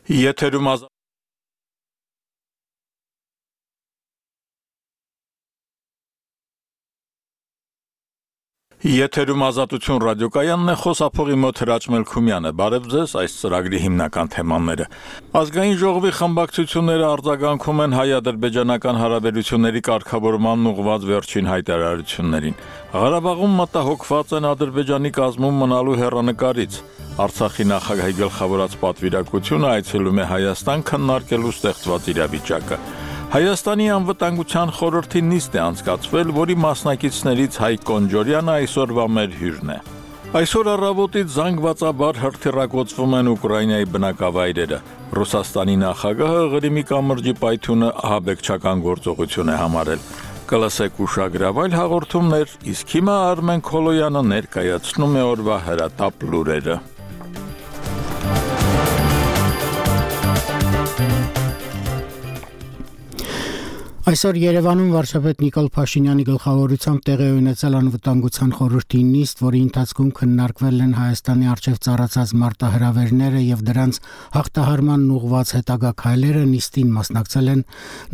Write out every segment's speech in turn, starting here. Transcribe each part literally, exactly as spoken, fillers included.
Եթերում ազատ Եթերում ազատություն ռադիոկայանն է, խոսափողի մոտ Հրաչ Մելքումյանը։ Բարև ձեզ, այս ծրագրի հիմնական թեմաները։ Ազգային ժողովի խմբակցությունները արձագանքում են հայ-ադրբեջանական հարաբերությունների կարգավորմանն ուղղված վերջին հայտարարություններին։ Ղարաբաղում մտահոգված են Ադրբեջանի կազմում մնալու հեռանկարից։ Արցախի նախագահի գլխավորած պատվիրակությունը այցելում է Հայաստան քննարկելու ստեղծված իրավիճակը։ Հայաստանի անվտանգության խորհրդի նիստ է անցկացվել, որի մասնակիցներից Հայկ Կոնջորյանը այսօրվա մեր հյուրն է։ Այսօր առավոտից զանգվածաբար հրթիռակոծվում են Ուկրաինայի բնակավայրերը։ Ռուսաստանի նախագահը Ղրիմի կամրջի պայթյունը ահաբեկչական գործողություն է համարել։ Կլսեք ուշագրավայր հաղորդումներ, իսկ հիմա Արմեն Քոլոյանը ներկայացնում է օրվա հրատապ լուրերը։ Այսօր Երևանում վարչապետ Նիկոլ Փաշինյանի գլխավորությամբ տեղի ունեցել անվտանգության խորհրդի նիստ, որի ընթացքում քննարկվել են Հայաստանի առջև ծառացած մարտահրավերները եւ դրանց հաղթահարմանն ուղղված հետագա քայլերը։ Նիստին մասնակցել են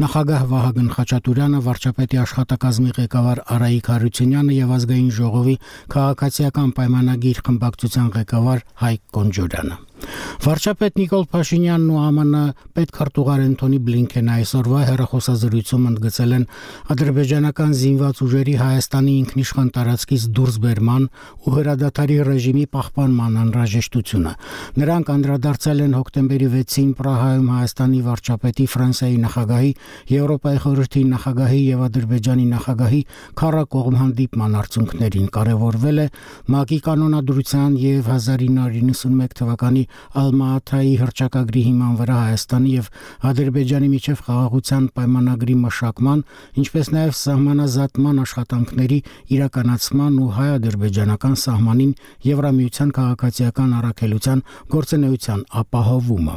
նախագահ Վահագն Խաչատուրյանը, վարչապետի աշխատակազմի ղեկավար Արայիկ Հարությունյանը եւ ազգային ժողովի քաղաքացիական պայմանագիր խմբակցության ղեկավար Հայկ Կոնջորյանը։ Վարչապետ Նիկոլ Փաշինյանն ու ԱՄՆ պետքարտուղար Անթոնի Բլինքենը այսօրվա հեռախոսազրույցում ընդգծել են ադրբեջանական զինված ուժերի Հայաստանի ինքնիշխան տարածքից դուրսբերման ու հրադադարի ռեժիմի պահպանման անհրաժեշտությունը։ Նրանք անդրադարձել են հոկտեմբերի վեցին Պրահայում Հայաստանի վարչապետի, Ֆրանսիայի նախագահի, Եվրոպայի խորհրդի նախագահի եւ Ադրբեջանի նախագահի քառակողմ հանդիպման արդյունքներին։ Կարևորվել է ՄԱԿ-ի կանոնադրության եւ հազար ինը հարյուր նվաթ թվականի Ալմա-Աթայի հռչակագրի հիման վրա Հայաստանի եւ Ադրբեջանի միջև խաղաղության պայմանագրի մշակման, ինչպես նաեւ սահմանազատման աշխատանքների իրականացման ու հայ-ադրբեջանական սահմանին Եվրամիության քաղաքացիական առաքելության գործունեության ապահովումը։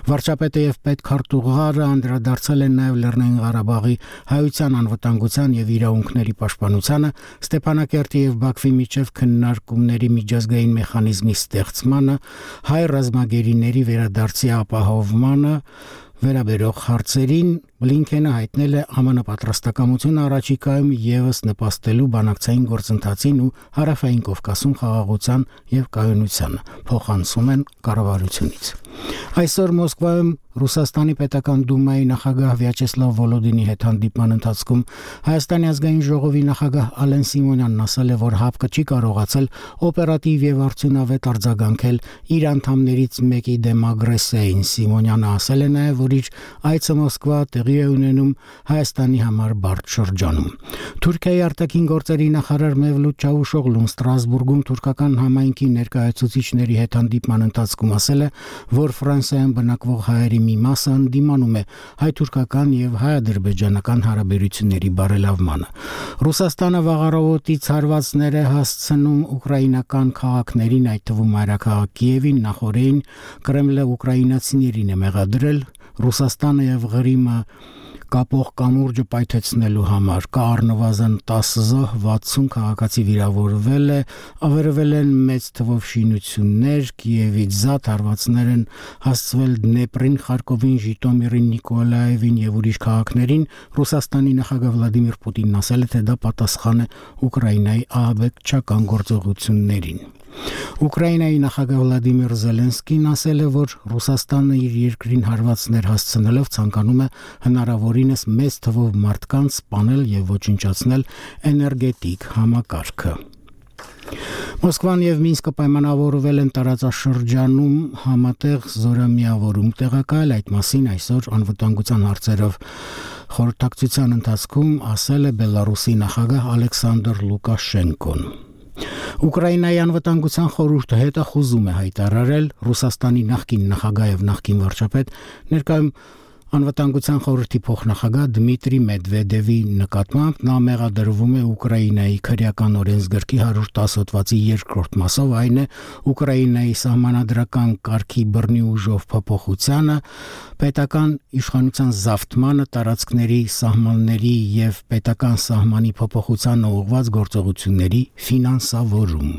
Վարչապետը եւ պետքարտուղարը անդրադարձել են նաեւ Լեռնային Ղարաբաղի հայության անվտանգության եւ իրավունքների պաշտպանությանը, Ստեփանակերտի եւ Բաքվի միջև քննարկումների միջազգային մեխանիզմի ստեղծմանը, հայ ռազմագերիների վերադարձի ապահովմանը վերաբերող հարցերին Բլինքենը հայտնել է ԱՄՆ պատրաստակամություն առաջիկայում եւս նպաստելու բանակցային գործընթացին ու Հարավային Կովկասում խաղաղության եւ կայունության, փոխանցում են կառավարությունից։ Այսօր Մոսկվայում Ռուսաստանի պետական դումայի նախագահ Վյաչեսլավ Վոլոդինի հետ հանդիպման ընթացքում Հայաստանի ազգային ժողովի նախագահ Ալեն Սիմոնյանն ասել է, որ ՀԱՊԿ չի կարողացել օպերատիվ եւ արդյունավետ արձագանքել իր անդամներից մեկի դեմ ագրեսիային։ Սիմոնյանը ասել է նաեւ, որ իր այցը Մոսկվա տեղի է ունենում Հայաստանի համար բարդ շրջանում։ Թուրքիայի արտաքին գործերի նախարար Մևլութ Չավուշօղլուն Ստրասբուրգում թուրքական համայնքի ներկայացուցիչների հետ հանդիպման ընթացքում ասել է, որ Ֆրանսիայում բնակվող հայերի մի մասը ընդդիմանում է հայ-թուրքական եւ հայ-ադրբեջանական հարաբերությունների բարելավմանը։ Ռուսաստանը վաղարավոտից հարվածներ է հասցնում ուկրաինական քաղաքներին, այդ թվում մայրաքաղաք Կիևին, նախորդին Կրեմլը ուկրաինացիներին է մեղադրել Ռուսաստանը եւ Ղրիմը կապող կամուրջը պայթեցնելու համար։ Կա առնվազն տասը զոհ, վաթսուն քաղաքացի վիրավորվել է, ավերվել են մեծ թվով շինություններ, Կիևից զատ հարվածներ են հասցվել Դնեպրին, Խարկովին, Ժիտոմիրին, Նիկոլաևին եւ ուրիշ քաղաքներին։ Ռուսաստանի նախագահ Վլադիմիր Պուտինն ասել է, թե դա պատասխան է Ուկրաինայի ահաբեկչական գործողություններին։ Ուկրաինայի նախագահ Վլադիմիր Զելենսկին ասել է, որ Ռուսաստանը իր երկրին հարվածներ հասցնելով ցանկանում է հնարավորինս մեծ թվով մարդկանց սպանել եւ ոչնչացնել էներգետիկ համակարգը։ Մոսկվան եւ Մինսկը պայմանավորվել են տարածաշրջանում համատեղ զորամիավորում տեղակայել, այդ մասին այսօր անվտանգության հարցերով խորհրդակցության ընթացքում ասել է Բելարուսի նախագահ Ալեքսանդր Լուկաշենկոն։ Ուկրաինայի անվտանգության խորհուրդը հետախուզում է հայտարարել Ռուսաստանի նախկին նախագահ եւ նախկին վարչապետ, ներկայում Անվտանգության խորհրդի փոխնախագահ Դմիտրի Մեդվեդևի նկատմամբ նա մեղադրվում է Ուկրաինայի քրեական օրենսգրքի հարյուր տասը հոդվածի երկրորդ մասով, այն է Ուկրաինայի սահմանադրական կարգի բռնի ուժով փոփոխությանը, պետական իշխանության զավթմանը, տարածքների սահմանների եւ պետական սահմանի փոփոխությանը ուղղված գործողությունների ֆինանսավորում։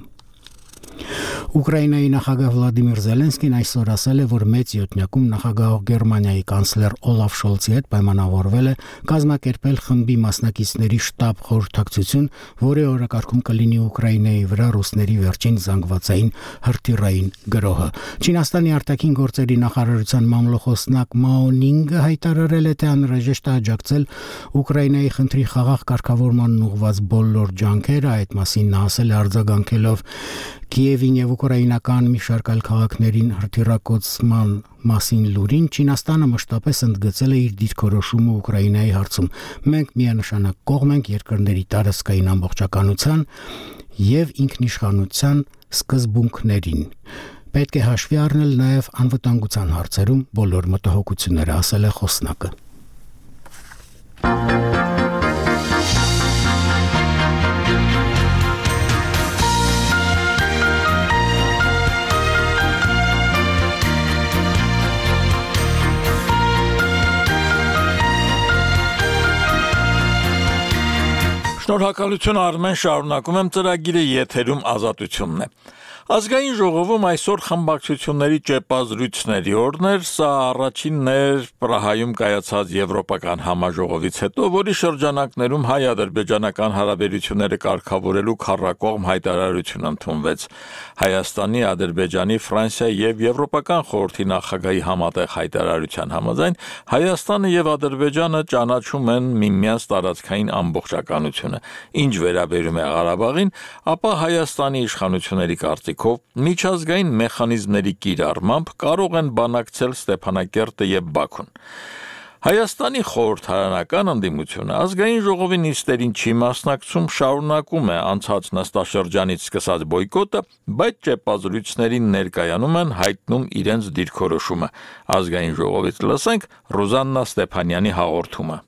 Ուկրաինայի նախագահ Վլադիմիր Զելենսկին այսօր ասել է, որ մեծ յոթնյակում նախագահող Գերմանիայի կանցլեր Օլաֆ Շոլցի հետ պայմանավորվել է կազմակերպել խմբի մասնակիցների շտաբ խորհրդակցություն, որի օրակարգում կլինի Ուկրաինայի վրա ռուսների վերջին զանգվածային հրթիռային գրոհը։ Չինաստանի արտաքին գործերի նախարարության մամլոխոսնակ Մաո Նինգը հայտարարել է, թե անհրաժեշտ է աջակցել Ուկրաինայի խնդրի խաղաղ կարգավորմանն ուղղված բոլոր ջանքերը, այդ մասին նա ասել է արձագանքելով Կիևին եւ ուկրաինական մի շարք այլ քաղաքներին հրթիռակոծման մասին լուրին, Չինաստանը մշտապես ընդգծել է իր դիրքորոշումը Ուկրաինայի հարցում։ Մենք միանշանակ կողմ ենք երկրների տարածքային ամբողջականության եւ ինքնիշխանության սկզբունքներին։ Պետք է հաշվի առնել նաեւ անվտանգության հարցերում բոլոր մտահոգությունները, ասել է խոսնակը։ Շնորհակալություն Արմեն, շարունակում եմ ծրագիրը, եթերում Ազատությունն է։ Ազգային ժողովում այսօր խմբակցությունների ճեպազրույցների օրն էր, սա առաջինն էր Պրահայում կայացած եվրոպական համաժողովից հետո, որի շրջանակներում հայ-ադրբեջանական հարաբերությունները կարգավորելու քառակողմ հայտարարություն ընդունվեց։ Հայաստանի, Ադրբեջանի, Ֆրանսիայի եւ Եվրոպական խորհրդի նախագահի համատեղ հայտարարության համաձայն Հայաստանը եւ Ադրբեջանը ճանաչում են միմյանց տարածքային ամբողջականությունը։ Ինչ վերաբերում է Ղարաբաղին, ապա Հայաստանի իշխանությունների կարծիքով միջազգային մեխանիզմների կիրառմամբ կարող են բանակցել Ստեփանակերտը եւ Բաքուն։ Հայաստանի խորհրդարանական ընդդիմությունը ազգային ժողովի նիստերին չի մասնակցում, շարունակում է անցած նստաշրջանից սկսած բոյկոտը, բայց ճեպազրույցներին ներկայանում են, հայտնում իրենց դիրքորոշումը։ Ազգային ժողովից լսենք Ռուզաննա Ստեփանյանի հաղորդումը։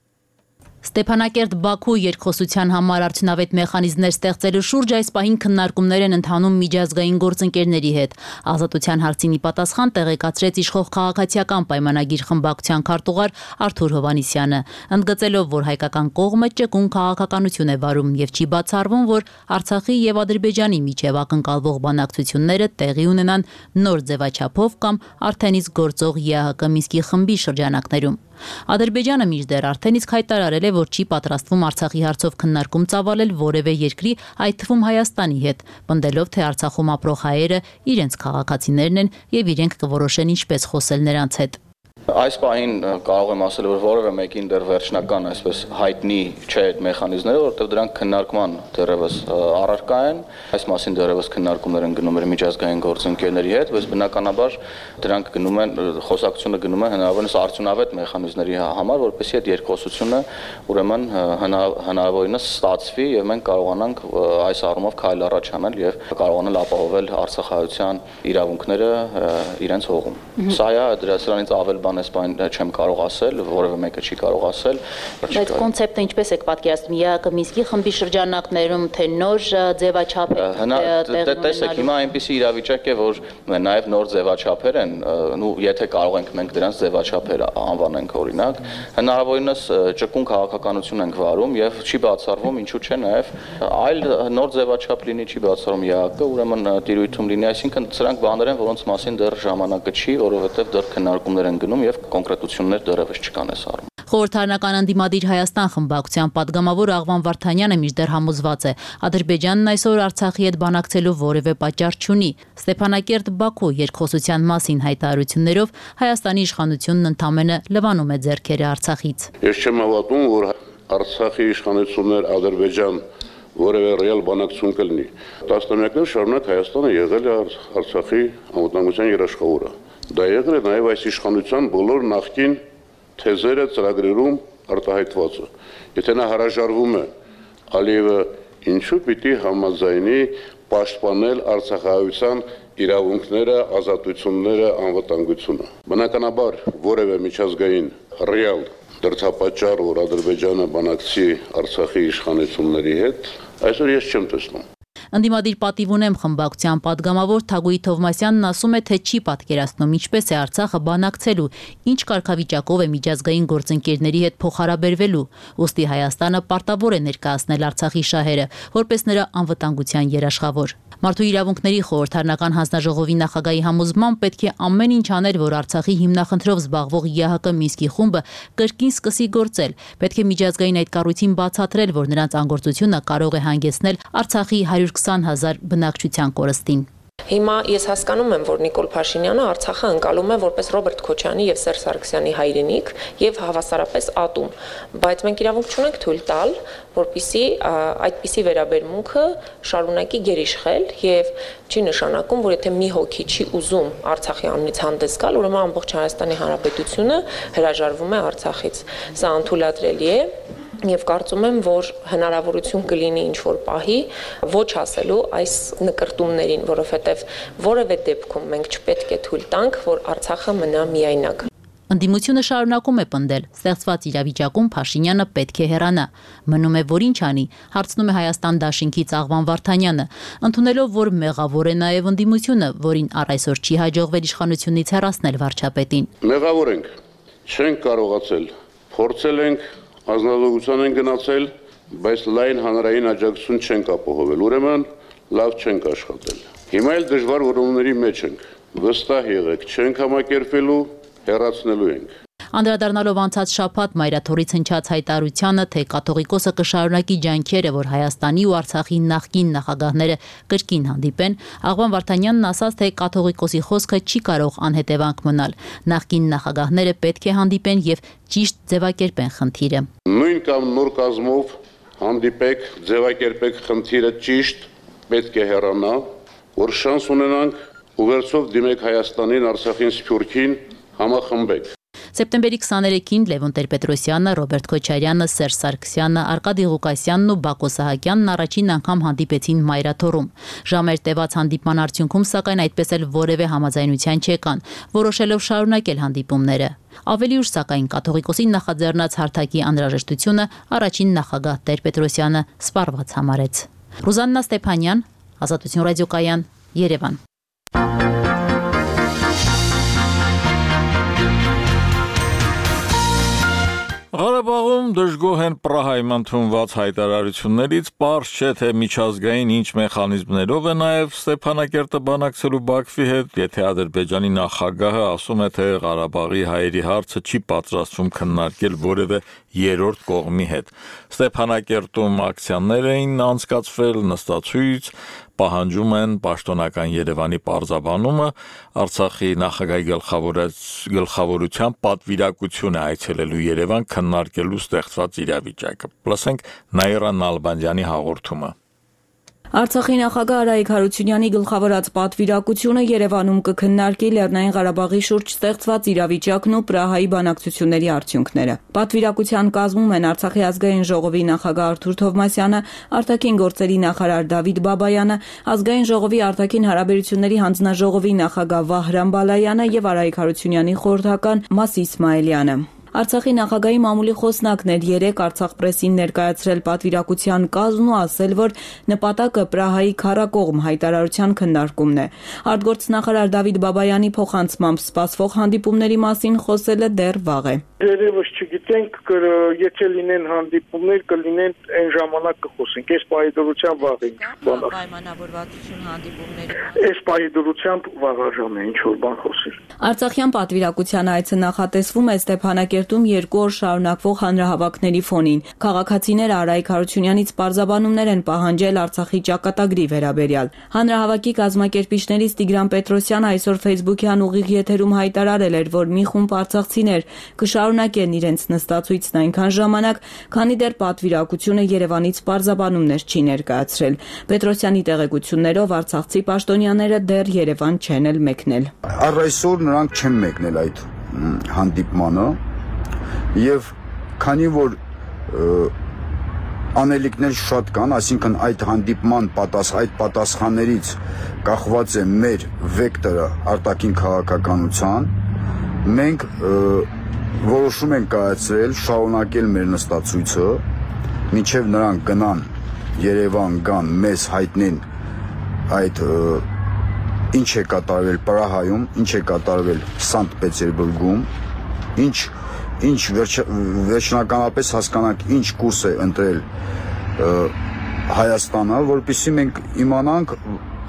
Ստեփանակերտ-Բաքու երկխոսության համար արդյունավետ մեխանիզմներ ստեղծելու շուրջ այս պահին քննարկումներ են ընթանում միջազգային գործընկերների հետ։ Ազատության հարցին ի պատասխան տեղեկացրեց իշխող քաղաքացիական պայմանագիր խմբակցության քարտուղար Արթուր Հովհաննիսյանը, ընդգծելով, որ հայկական կողմը ճկուն քաղաքականություն է վարում եւ չի բացառվում, որ Արցախի եւ Ադրբեջանի միջև ակնկալվող բանակցությունները տեղի ունենան նոր ձևաչափով կամ արդեն իսկ գործող ԵԱՀԿ Մինսկի խմբի շրջանակներում։ Ադրբեջանը մինչդեռ արդեն իսկ հայտարարել է, որ չի պատրաստվում Արցախի հարցով քննարկում ծավալել որևէ երկրի, այդ թվում Հայաստանի հետ, պնդելով, թե Արցախում ապրող հայերը իրենց քաղաքացիներն են եւ իրենք կորոշեն ինչպես խոսել նրանց հետ։ Այս պահին կարող եմ ասել, որ որևէ մեկին դեռ վերջնական այսպես հայտնի չէ այդ մեխանիզմները, որովհետև դրանք քննարկման դեռևս առարկա են, այս մասին դեռևս քննարկումներ են գնում մեր միջազգային գործընկերների հետ, բայց բնականաբար դրանք գնում են, խոսակցությունը գնում է հնարավորինս արդյունավետ մեխանիզմների համար, որպեսզի այդ երկխոսությունը ուրեմն հնարավորինս ստացվի եւ մենք կարողանանք այս առումով քայլ առաջ անել եւ կարողանալ ապահովել արցախայցյան իրավունքները իրենց հողում։ Սա է դրանից ավել բան այս բան չեմ կարող ասել, որևէ մեկը չի կարող ասել։ Բայց կոնցեպտը ինչպես եք պատկերացնում, ԵԱՀԿ Մինսկի խմբի շրջանակներում, թե նոր ձևաչափ է։ Տեսեք, հիմա այնպիսի իրավիճակ է, որ նաև նոր ձևաչափեր են, ու եթե կարող ենք մենք դրանց ձևաչափեր անվանենք օրինակ, հնարավորինս ճկուն քաղաքականություն ենք վարում եւ չի բացառվում, ինչու՞ չէ նաև այլ նոր ձևաչափ լինի, չի բացառվում ԵԱՀԿ, ուրեմն տիրույթում լինի, այսինքն սրանք բաներ են, որոնց մասին դեռ ժամանակը չի, որովհետեւ դեռ քննարկումներ են գնում եւ կոնկրետություններ դեռևս չկան այս առումով։ Խորհրդարանական ընդդիմադիր Հայաստան խմբակցության падգամավոր Աղվան Վարդանյանը մինչդեռ համոզված է, Ադրբեջանն այսօր Արցախի հետ բանակցելու որևէ պատճառ չունի։ Ստեփանակերտ-Բաքու երկխոսության մասին հայտարարություններով Հայաստանի իշխանությունն ընդամենը լվանում է ձեռքերը Արցախից։ Ես չեմ հավատում, որ Արցախի իշխանություններ Ադրբեջան որևէ ռեալ բանակցություն կլինի։ Տասնամյակներ շարունակ Հայաստանը եղել է Արցախի անվտանգության երաշխավորը։ Դա եղել է նաև այս իշխանության բոլոր նախկին թեզերը ծրագրերում արտահայտվածը։ Եթե նա հրաժարվում է, Ալիևը ինչու պիտի համաձայնի պաշտպանել արցախահայության իրավունքները, ազատությունները, անվտանգությունը։ Բնականաբար որևէ միջազգային ռեալ դրդապատճառ, որ Ադրբեջանը բանակցի Արցախի իշխանությունների հետ, այսօր ես չեմ տեսնում։ Ընդդիմադիր պատիվ ունեմ խմբակցության падգամավոր Թագուհի Թովմասյանն ասում է, թե չի պատկերացնում ինչպես է Արցախը բանակցելու, ինչ կարգավիճակով է միջազգային գործընկերների հետ փոխհարաբերվելու, ուստի Հայաստանը պարտավոր է ներկայացնել Արցախի շահերը, որպես նրա անվտանգության երաշխավոր։ Մարդու իրավունքների խորհրդարանական հանձնաժողովի նախագահի համոզմամբ պետք է ամեն ինչ անել, որ Արցախի հիմնախնդրով զբաղվող ԵԱՀԿ Մինսկի խումբը կրկին սկսի գործել։ Պետք է միջազգային այդ կառույցին բացատրել, որ նրանց անգործությունը կարող է հանգեցնել Արցախի հարյուր քսան հազար բնակչության կորստին։ Հիմա ես հասկանում եմ, որ Նիկոլ Փաշինյանը Արցախը ընկալում է որպես Ռոբերտ Քոչյանի եւ Սերժ Սարգսյանի հայրենիք եւ հավասարապես ատում, բայց մենք իրավունք չունենք թույլ տալ, որպիսի այդպիսի վերաբերմունքը շարունակի գերիշխել եւ չի նշանակում, որ եթե մի հոգի չի ուզում Արցախի անունից հանդես գալ, ուրեմն ամբողջ Հայաստանի Հանրապետությունը հրաժարվում է Արցախից։ Սա անթույլատրելի է։ Եվ կարծում եմ, որ հնարավորություն կլինի ինչ-որ պահի ոչ ասելու այս նկրտումներին, որովհետև որևէ դեպքում մենք չպետք է թույլ տանք, որ Արցախը մնա միայնակ։ Ընդդիմությունը շարունակում է պնդել, ստեղծված իրավիճակում Փաշինյանը պետք է հեռանա։ Մնում է, որ ինչ անի, հարցնում է Հայաստան Դաշինքից Աղվան Վարդանյանը, ընդունելով, որ մեղավոր է նաև ընդդիմությունը, որին առ այսօր չի հաջողվել իշխանությունից հեռացնել վարչապետին։ Մեղավոր ենք, չենք կարողացել, փորձել ենք, ազնվության են գնացել, բայց լայն հանրային աջակցություն չենք ապահովել, ուրեմն լավ չենք աշխատել։ Հիմա էլ դժվար որոնումների մեջ ենք, վստահ եղեք, չենք համակերպվելու, հեռացնելու ենք։ Անդրադառնալով անցած շաբաթ Մայրաթորից հնչած հայտարարությանը, թե կաթողիկոսը կշարունակի ջանքերը, որ Հայաստանի ու Արցախի նախկին նախագահները կրկին հանդիպեն, Աղվան Վարդանյանն ասաց, թե կաթողիկոսի խոսքը չի կարող անհետևանք մնալ։ Նախկին նախագահները պետք է հանդիպեն եւ ճիշտ ձևակերպեն խնդիրը։ Նույն կամ նոր կազմով հանդիպեք, ձևակերպեք խնդիրը ճիշտ, պետք է հեռանա, որ շանս ունենանք ուղերձով դիմեք Հայաստանին, Արցախին, Սփյուռքին, համախմբեք։ Սեպտեմբերի քսաներեքին Լևոն Տեր-Պետրոսյանը, Ռոբերտ Քոչարյանը, Սերժ Սարգսյանը, Արկադի Ղուկասյանն ու Բակո Սահակյանն առաջին անգամ հանդիպեցին Մայրաթորում։ Ժամեր տևած հանդիպման արդյունքում, սակայն այդպես էլ որևէ համաձայնության չեկան, որոշելով շարունակել հանդիպումները։ Ավելի ուշ, սակայն, կաթողիկոսին նախաձեռնած հարթակի անհրաժեշտությունը առաջին նախագահ Տեր-Պետրոսյանը սպառված համարեց։ Ռուզաննա Ստեփանյան, Ազատություն ռադիոկայան, Երևան։ Ղարաբաղում դժգոհ են Պրահայում ընդունված հայտարարություններից, պարզ չէ, թե միջազգային ինչ մեխանիզմներով է նաև Ստեփանակերտը բանակցելու Բաքվի հետ, եթե Ադրբեջանի նախագահը ասում է, թե Ղարաբաղի հայերի հարցը չի պատրաստվում քննարկել որևէ երրորդ կողմի հետ։ Ստեփանակերտում ակցիաներ էին անցկացվել, նստացույց, պահանջում են պաշտոնական Երևանի պարզաբանումը, Արցախի նախագահի գլխավորությամբ պատվիրակություն է այցելելու Երևան քննարկելու ստեղծված իրավիճակը։ Լսենք Նաիրա Նալբանդյանի հաղորդումը։ Արցախի նախագահ Արայիկ Հարությունյանի գլխավորած պատվիրակությունը Երևանում կքննարկի Լեռնային Ղարաբաղի շուրջ ստեղծված իրավիճակն ու Պրահայի բանակցությունների արդյունքները։ Պատվիրակության կազմում են Արցախի ազգային ժողովի նախագահ Արթուր Թովմասյանը, արտաքին գործերի նախարար Դավիթ Բաբայանը, ազգային ժողովի արտաքին հարաբերությունների հանձնաժողովի նախագահ Վահրամ Բալայանը եւ Արայիկ Հարությունյանի խորհրդական Մաս Իսմայելյանը։ Արցախի նախագահի մամուլի խոսնակն էր երեկ Արցախ պրեսին ներկայացրել պատվիրակության կազմն ու ասել, որ նպատակը Պրահայի քառակողմ հայտարարության քննարկումն է։ Արտգործնախարար Դավիթ Բաբայանի փոխանցմամբ սպասվող հանդիպումների մասին խոսելը դեռ վաղ է։ Երևս չգիտենք, եթե լինեն հանդիպումներ, կլինեն այն ժամանակ կխոսենք։ Այս պահի վաղ ենք։ Պայմանավորվածություն հանդիպումների։ Այս պահի վաղաժամ է ինչ որ բան խոսել։ Արցախյան պատվիրակության այցը նախատեսվում է Ստեփանակերտում երկու օր շարունակվող հանրահավաքների ֆոնին։ Քաղաքացիները Արայիկ Հարությունյանից պարզաբանումներ են պահանջել Արցախի ճակատագրի վերաբերյալ։ Հանրահավաքի կազմակերպիչներից Տիգրան Պետրոսյանը այսօր Facebook-յան ուղիղ եթերում հայտարարել էր, որ մի խումբ արցախցիներ կշարունակեն իրենց նստածույցն այնքան ժամանակ, քանի դեռ պատվիրակությունը Երևանից պարզաբանումներ չի ներկայացրել։ Պետրոսյանի տեղեկություններով արցախցի պաշտոնյաները դեռ Երևան չեն էլ մեկնել։ Առ այսօր նրանք չեն մեկնել այդ հանդիպմանը եւ քանի որ անելիքներ շատ կան, այսինքն այդ հանդիպման պատաս այդ պատասխաններից կախված է մեր վեկտորը արտաքին քաղաքականության, մենք որոշում ենք կայացրել շարունակել մեր նստածույցը, մինչև նրանք գնան Երևան գան, մեզ հայտնեն այդ ինչ է կատարվել Պրահայում, ինչ է կատարվել Սանտ Պետերբուրգում, ինչ ինչ վերջնականապես հասկանանք ինչ կուրս է ընտրել Հայաստանը, որպեսզի մենք իմանանք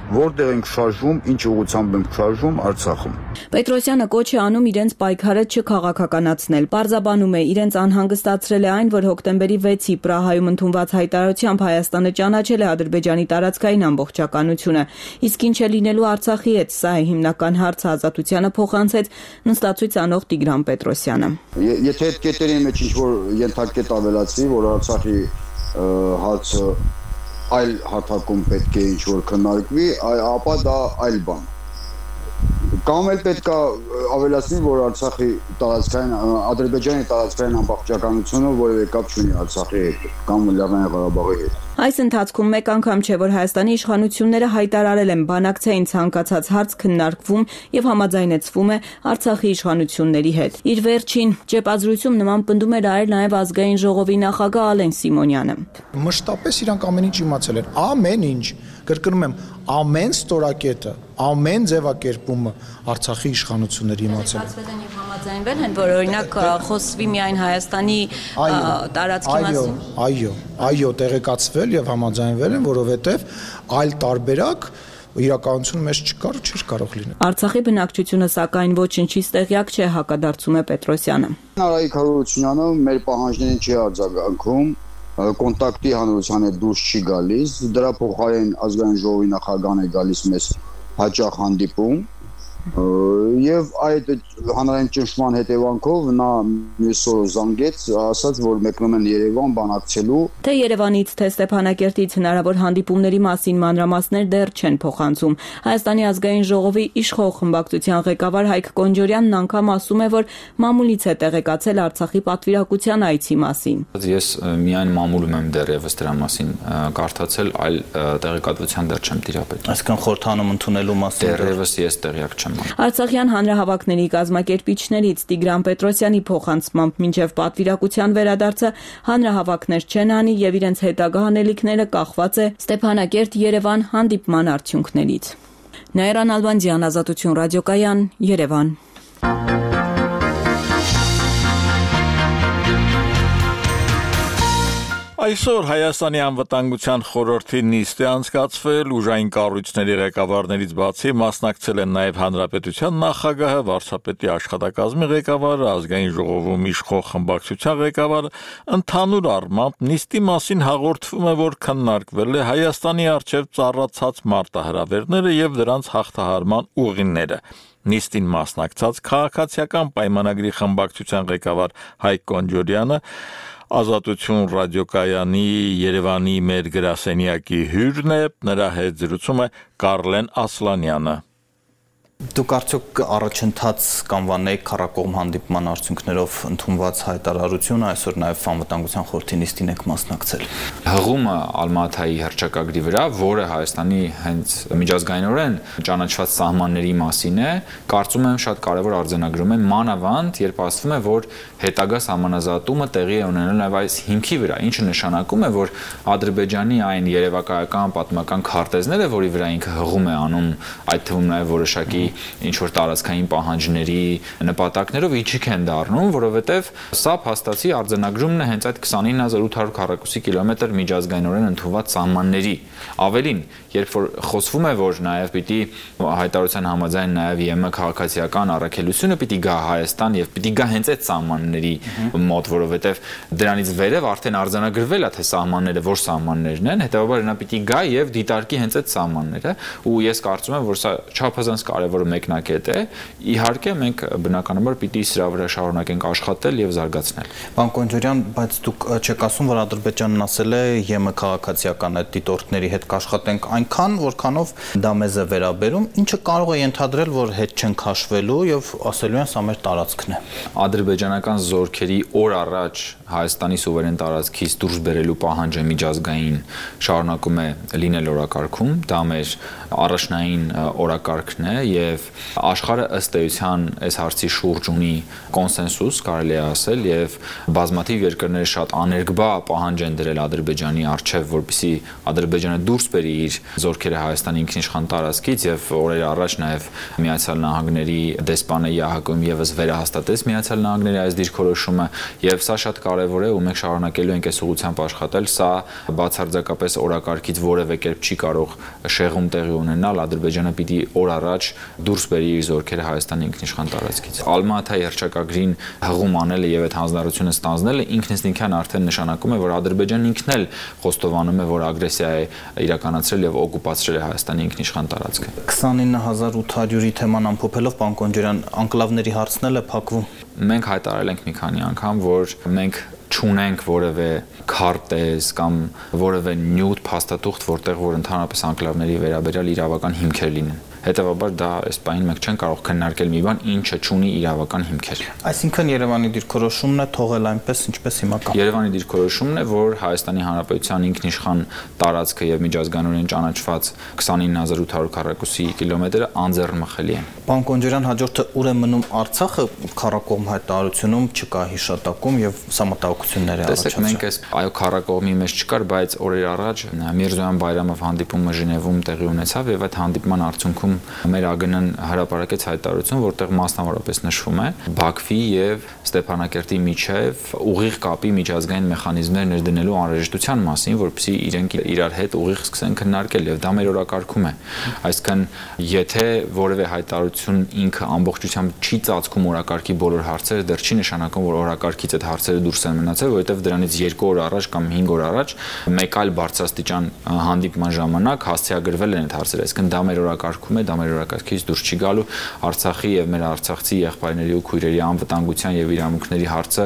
որտեղ ենք շարժվում, ինչ ուղղությամբ ենք շարժվում Արցախում։ Պետրոսյանը կոչ է անում իրենց պայքարը չքաղաքականացնել։ Պարզաբանում է, իրենց անհանգստացրել է այն, որ հոկտեմբերի վեցի Պրահայում ընդունված հայտարարությամբ Հայաստանը ճանաչել է Ադրբեջանի տարածքային ամբողջականությունը։ Իսկ ինչ է լինելու Արցախի հետ, սա է հիմնական հարցը, Ազատությանը փոխանցեց նստածույց անող Տիգրան Պետրոսյանը։ Եթե այդ կետերի մեջ ինչ-որ ենթակետ ավելացվի, որ Արցախի հարցը այլ հարթակում պետք է ինչ-որ քննարկվի, ապա դա այլ բան։ Կամ էլ պետք է ավելացնի, որ Արցախի տարածքային, Ադրբեջանի տարածքային ամբողջականությունը որևէ կապ չունի Արցախի հետ, կամ Լեռնային Ղարաբաղի հետ։ Այս ընթացքում մեկ անգամ չէ, որ Հայաստանի իշխանությունները հայտարարել են բանակցային ցանկացած հարց քննարկվում եւ համաձայնեցվում է Արցախի իշխանությունների հետ։ Իր վերջին ճեպազրույցում նման պնդում էր արել նաեւ ազգային ժողովի նախագահ Ալեն Սիմոնյանը։ Մշտապես իրանք ամեն ինչ իմացել են, ամեն ինչ, կրկնում եմ, ամեն ստորակետը, ամեն ձևակերպումը Արցախի իշխանությունների իմացել են։ Եւ համաձայնվել են, որ օրինակ խոսվի միայն Հայաստանի տարածքի մասին։ Այո, այո, տեղեկացվել եւ համաձայնվել են, որովհետեւ այլ տարբերակ իրականություն մեջ չկար ու չէր կարող լինել։ Արցախի բնակչությունը սակայն ոչնչից տեղյակ չէ, հակադարձում է Պետրոսյանը։ Արայիկ Հարությունյանը մեր պահանջներին չի արձագանքում, կոնտակտի հանրության հետ դուրս չի գալիս, դրա փոխարեն ազգային ժողովի նախագահն է գալիս մեզ հաճախ հանդիպում եւ այդ հանրային ճնշման հետևանքով նա մյուս օրը զանգեց, ասաց, որ մեկնում են Երևան բանակցելու։ Թե Երևանից, թե Ստեփանակերտից հնարավոր հանդիպումների մասին մանրամասներ դեռ չեն փոխանցում։ Հայաստանի ազգային ժողովի իշխող խմբակցության ղեկավար Հայկ Կոնջորյանն անգամ ասում է, որ մամուլից է տեղեկացել Արցախի պատվիրակության այցի մասին։ Ես միայն մամուլում եմ դեռևս դրա մասին կարդացել, այլ տեղեկատվության դեռ չեմ տիրապետել։ Այսինքն խորհրդանում ընդունելու մասին դեռևս ես տեղյակ չեմ։ Արցախյան հանրահավաքների կազմակերպիչներից Տիգրան Պետրոսյանի փոխանցմամբ մինչև պատվիրակության վերադարձը հանրահավաքներ չեն անի եւ իրենց հետագա անելիքները կախված է Ստեփանակերտ-Երևան հանդիպման արդյունքներից։ Նաիրան Ալբանդյան, Ազատություն ռադիոկայան, Երևան։ Այսօր Հայաստանի անվտանգության խորհրդի նիստ է անցկացվել, ուժային կառույցների ղեկավարներից բացի մասնակցել են նաև Հանրապետության նախագահը, վարչապետի աշխատակազմի ղեկավարը, ազգային ժողովում իշխող խմբակցության ղեկավարը, ընդհանուր առմամբ նիստի մասին հաղորդվում է, որ քննարկվել է Հայաստանի առջև ծառացած մարտահրավերները եւ դրանց հաղթահարման ուղիները։ Նիստին մասնակցած քաղաքացիական պայմանագրի խմբակցության ղեկավար Հայկ Կոնջորյանը Ազատություն ռադիոկայանի Երևանի մեր գրասենյակի հյուրն է, նրա հետ զրուցում է Կարլեն Ասլանյանը։ Դուք արդյոք առաջընթաց կանվանեիք քառակողմ հանդիպման արդյունքներով ընդունված հայտարարությունը, այսօր նաև անվտանգության խորհրդի նիստին եք մասնակցել։ Հղումը Ալմաթայի հռչակագրի վրա, որը Հայաստանի հենց միջազգայինորեն ճանաչված սահմանների մասին է, կարծում եմ շատ կարևոր արձանագրում է, մանավանդ, երբ ասվում է, որ հետագա սահմանազատումը տեղի է ունենալ նաև այս հիմքի վրա, ինչը նշանակում է, որ Ադրբեջանի այն երևակայական պատմական քարտեզները, որի վրա ինքը հղում է անում, այդ թվում նաև որոշակի ինչ-որ տարածքային պահանջների նպատակներով իջիկ են դառնում, որովհետև սա փաստացի արձանագրումն է հենց այդ քսանինը հազար ութ հարյուր քառակուսի կիլոմետր միջազգայինորեն ընդունված սահմանների։ Ավելին, երբ որ խոսվում է, որ նաև պիտի հայտարարության համաձայն նաև ԵՄ քաղաքացիական առաքելությունը պիտի գա Հայաստան եւ պիտի գա հենց այդ սահմանների մոտ, որովհետև դրանից վերև արդեն արձանագրվել է թե սահմանները որ սահմաններն են, հետեւաբար նա պիտի գա եւ դիտարկի հենց այդ սահմանները, ու ես կարծում եմ, որ սա չափազանց կարևոր մեկնակետ է։ Իհարկե մենք բնականաբար պիտի սրա վրա շարունակենք աշխատել եւ զարգացնել։ Պարոն Կոնջորյան, բայց դուք չեք ասում, որ Ադրբեջանն ասել է ԵՄ քաղաքացիական այդ դիտորդների հետ կաշխատենք այնքան, որքանով դա մեզ է վերաբերում, ինչը կարող է ենթադրել, որ հետ չեն քաշվելու եւ ասելու են սա մեր տարածքն է։ Ադրբեջանական զորքերի օր առաջ Հայաստանի սուվերեն տարածքից դուրս բերելու պահանջը միջազգային շարունակում է լինել օրակարգում, դա մեր առաջնային օրակարգն է եւ եւ աշխարհը ըստ էության այս հարցի շուրջ ունի կոնսենսուս, կարելի է ասել, եւ բազմաթիվ երկրներ շատ աներկբա պահանջ են դրել Ադրբեջանի առջև, որպեսզի Ադրբեջանը դուրս բերի իր զորքերը Հայաստանի ինքնիշխան տարածքից եւ օրեր առաջ նաեւ Միացյալ Նահանգների դեսպանը ԵԱՀԿ-ում եւս վերահաստատեց Միացյալ Նահանգների այս դիրքորոշումը եւ սա շատ կարեւոր է ու մենք շարունակելու ենք այս ուղղությամբ աշխատել, սա բացարձակապես օրակարգից որևէ կերպ չի կարող շեղում տեղի ունենալ, Ադրբեջանը պիտի օր առաջ դուրս բերի իր զորքերը Հայաստանի ինքնիշխան տարածքից։ Ալմաթայի հռչակագրին հղում անելը եւ այդ հանձնարարությունը ստանձնելը ինքնիշխան արդեն նշանակում է, որ Ադրբեջանն ինքն էլ խոստովանում է, որ ագրեսիա է իրականացրել եւ օկուպացրել է Հայաստանի ինքնիշխան տարածքը։ քսանինը հազար ութ հարյուրի թեման ամփոփելով, պարոն Կոնջարյան, անկլավների հարցն էլ է փակվում։ Մենք հայտարարել ենք մի քանի անգամ, որ մենք չունենք որևէ քարտեզ կամ որևէ նյութ փաստաթուղթ, որտեղ որ ընդհանրապես անկլավների վերաբերյալ իրավական հիմքեր լինեն։ Հետևաբար դա այս պահին մենք չենք կարող քննարկել մի բան, ինչը չունի իրավական հիմքեր։ Այսինքն Երևանի դիրքորոշումն է թողել այնպես, ինչպես հիմա կա։ Երևանի դիրքորոշումն է, որ Հայաստանի Հանրապետության ինքնիշխան տարածքը եւ միջազգայինորեն ճանաչված քսանինը հազար ութ հարյուր քառակուսի կիլոմետրը անձեռնմխելի են։ Պարոն Կոնջարյան, հաջորդը ուր է մնում Արցախը, քառակողմ հայտարարությունում չկա հիշատակում եւ սահմատահոգություններ է առաջացել։ Տեսեք, մենք այս այո քառակողմի մեջ չկար, բայց օրեր առաջ Միրզոյան Բայրամով հանդիպումը Ժնևում տեղի ունեցավ եւ այդ հանդիպման արդյունքում մեր ԱԳՆ-ն հրապարակեց հայտարարություն, որտեղ մասնավորապես նշվում է Բաքվի եւ Ստեփանակերտի միջև ուղիղ կապի միջազգային մեխանիզմներ ներդնելու անհրաժեշտության մասին, որպեսզի իրենք իրար հետ ուղիղ սկսեն քննարկել եւ դա մեր օրակարգում է։ Այսինքն, եթե որևէ հայտարարություն ինքը ամբողջությամբ չի ծածկում օրակարգի բոլոր հարցերը, դեռ չի նշանակում, որ օրակարգից այդ հարցերը դուրս են մնացել, որովհետեւ դրանից երկու օր առաջ կամ հինգ օր առաջ մեկ այլ բարձրաստիճան հանդիպման ժամանակ հասցեագրվել են այդ հարցերը։ Այսինքն, դա մեր օրակարգում է, դա մեր օրակարգից դուրս չի գալու։ Արցախի եւ մեր արցախցի եղբայրների ու քույրերի անվտանգության եւ իրավունքների հարցը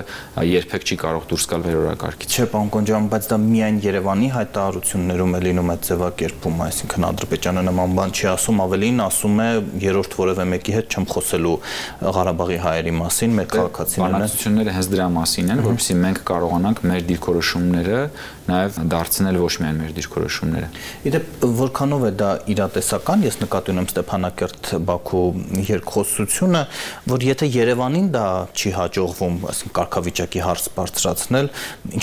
երբեք չի կարող դուրս գալ մեր օրակարգից։ Չէ, պարոն Կոնջարյան, բայց դա միայն Երևանի հայտարարություններում է լինում այդ ձևակերպումը, այսինքն Ադրբեջանը նման բան չի ասում, ավելին ասում է երրորդ որևէ մեկի հետ չեմ խոսելու Ղարաբաղի հայերի մասին, մեր քաղաքացիներն են։ Բանակցությունները հենց դրա մասին են, որովհետեւ մենք կարողանանք մեր դիրքորոշումները նաեւ դարձնել ոչ միայն մեր դիրքորոշումները։ Իդեպ որքանով է դա իրատեսական, ես նկատի ունեմ Ստեփանակերտ-Բաքու երկխոսությունը, որ եթե Երևանին դա չի հաջողվում, այսինքն կարգավիճակի հարց բարձրացնել,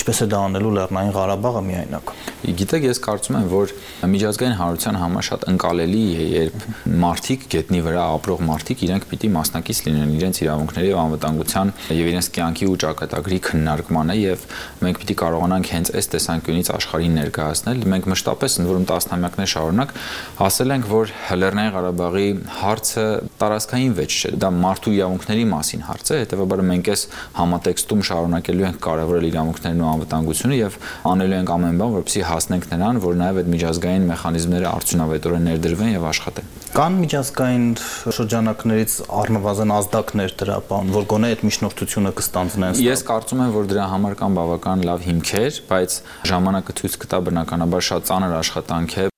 ինչպես է դա անելու Լեռնային Ղարաբաղը միայնակ։ Գիտեք, ես կարծում եմ, որ միջազգային հանրության համար շատ ընկալելի է, երբ մարդիկ գետնի վրա ապրող մարդիկ իրենք պիտի մասնակից լինեն իրենց իրավունքների եւ անվտանգության եւ իրենց կյանքի ու ճակատագրի քննարկմանը եւ մենք պիտի կարողանանք հենց այս տեսանկյունից աշխարհին ներկայացնել։ Մենք մշտապես ընդ որում տասնամյակներ շարունակ ասել ենք, որ Լեռնային Ղարաբաղի հարցը տարածքային վեճ չէ, դա մարդու իրավունքների մասին հարց է, հետեւաբար մենք այս համատեքստում շարունակելու ենք կարևորել իրավունքներն ու անվտանգությունը եւ անելու ենք ամեն բան, որպեսզի հասնենք նրան, որ նաեւ այդ միջազգային մեխանիզմները արդյունավետորեն ներդրվեն եւ աշխատեն։ Կան միջազգային շրջանակներից առնվազն ազդակներ դրա բան, որ գոնե այդ միջնորդությունը կստանձնեն։ Ես կարծում եմ, որ դրա համար կան բավական լավ հիմքեր, բայց ժամանակը ցույց կտա բնականաբար շատ ծանր աշխատանք է։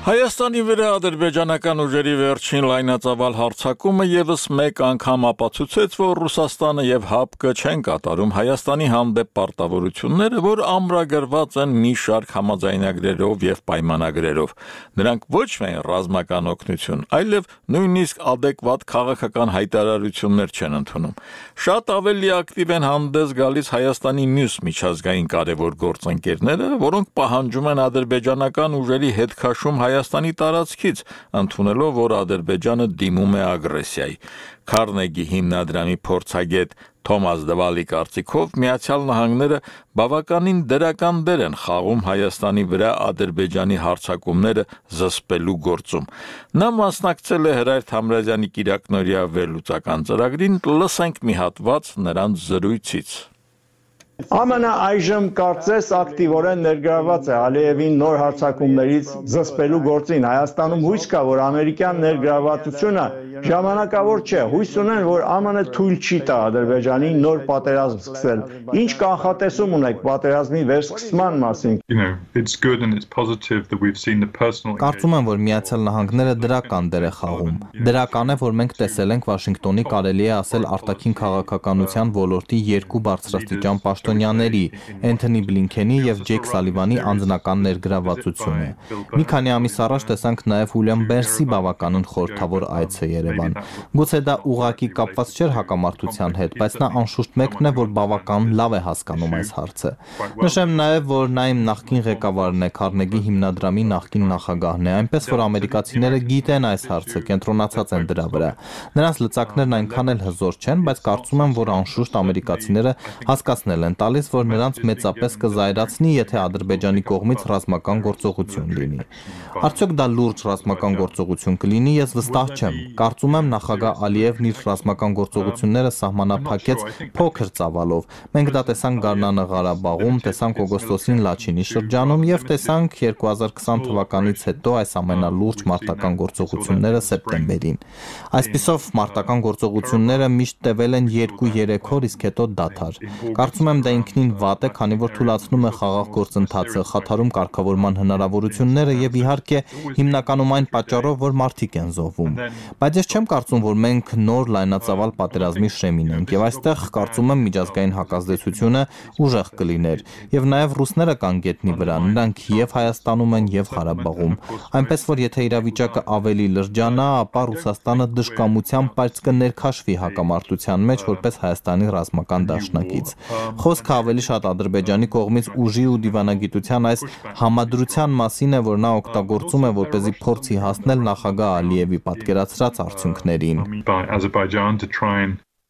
Հայաստանի վրա ադրբեջանական ուժերի վերջին լայնածավալ հարձակումը եւս մեկ անգամ ապացուցեց, որ Ռուսաստանը եւ ՀԱՊԿ չեն կատարում Հայաստանի հանդեպ պարտավորությունները, որ ամրագրված են մի շարք համաձայնագրերով եւ պայմանագրերով։ Նրանք ոչ միայն ռազմական օգնություն, այլև նույնիսկ adekvat քաղաքական հայտարարություններ չեն ընդունում։ Շատ ավելի ակտիվ են հանդես գալիս Հայաստանի մյուս միջազգային կարևոր գործընկերները, որոնք պահանջում են ադրբեջանական ուժերի հետ քաշում Հայաստանի տարածքից, ընդունելով, որ Ադրբեջանը դիմում է ագրեսիայի։ Քարնեգի հիմնադրամի փորձագետ Թոմաս Դվալի կարծիքով Միացյալ Նահանգները բավականին դրական դեր են խաղում Հայաստանի վրա Ադրբեջանի հարձակումները զսպելու գործում։ Նա մասնակցել է Հրայր Թամրազյանի կիրակնօրյա վերլուծական ծրագրին, լսենք մի հատված նրանց զրույցից։ ԱՄՆ-ը այժմ կարծես ակտիվորեն ներգրավված է Ալիևին նոր հարձակումներից զսպելու գործին։ Հայաստանում հույս կա, որ ամերիկյան ներգրավվածությունը ժամանակավոր չէ։ Հույս ունեն, որ ԱՄՆ թույլ չի տա Ադրբեջանին նոր պատերազմ սկսել։ Ինչ կանխատեսում ունեք պատերազմի վերսկսման մասին։ Կարծում եմ, որ Միացյալ Նահանգները դրական դեր է խաղում։ Դրական է, որ մենք տեսել ենք Վաշինգտոնի կարելի է ասել արտաքին քաղաքականության ոլորտի երկու բարձրաստիճան պաշտոնյաների՝ Էնթոնի Բլինքենի եւ Ջեյք Սալիվանի անձնական ներգրավվածությունը։ Մի քանի ամիս առաջ տեսանք նաեւ Ուիլյամ Բերսի բավականին խորհրդավոր այցը Երևան։ Գուցե դա ուղղակի կապված չէր հակամարտության հետ, բայց նա անշուշտ մեկն է, որ բավական լավ է հասկանում այս հարցը։ Նշեմ նաեւ, որ նա իմ նախկին ղեկավարն է, Քարնեգի հիմնադրամի նախկին նախագահն է, այնպես որ ամերիկացիները գիտեն այս հարցը, կենտրոնացած են դրա վրա։ Նրանց լծակներն այնքան էլ հզոր չեն, բայց կարծում եմ, որ անշուշտ ամերիկացիները հասկացնել են տալիս, որ նրանց մեծապես կզայրացնի, եթե Ադրբեջանի կողմից ռազմական գործողություն լինի։ Արդյոք դա լուրջ ռազմական գործողություն կլինի, ես վստահ չեմ։ Կարծում եմ նախագահ Ալիևն իր ռազմական գործողությունները սահմանափակեց փոքր ծավալով։ Մենք դա տեսանք Գառնանը Ղարաբաղում, տեսանք օգոստոսին Լաչինի շրջանում եւ տեսանք երկու հազար քսան թվականից հետո այս ամենալուրջ մարտական գործողությունները սեպտեմբերին։ Այսպիսով մարտական գործողությունները միշտ տևել են երկու-երեք օր, իսկ հետո դադար։ Կարծում եմ դա ինքնին վատ է, քանի որ թուլացնում է խաղաղ գործընթացը, խաթարում կարգավորման հնարավորությունները եւ իհարկե հիմնականում այն պատճառով, որ մարդիկ են զոհվում։ Բայց ես չեմ կարծում, որ մենք նոր լայնածավալ պատերազմի շեմին ենք եւ այստեղ կարծում եմ միջազգային հակազդեցությունը ուժեղ կլիներ եւ նաեւ ռուսները կան գետնի վրա, նրանք եւ Հայաստանում են եւ Ղարաբաղում։ Այնպես որ եթե իրավիճակը ավելի լրջանա, ապա Ռուսաստանը դժկամությամբ բայց կներքաշվի հակամարտության մեջ որպես Հայաստանի ռազմական դաշնակից։ Խոսքը ավելի շատ Ադրբեջանի կողմից ուժի ու դիվանագիտության այս համադրության մասին է, որ նա օգտագործում է, որպեսզի փորձի հասնել նախագահ Ալիևի պատկերացրած արդյունքներին։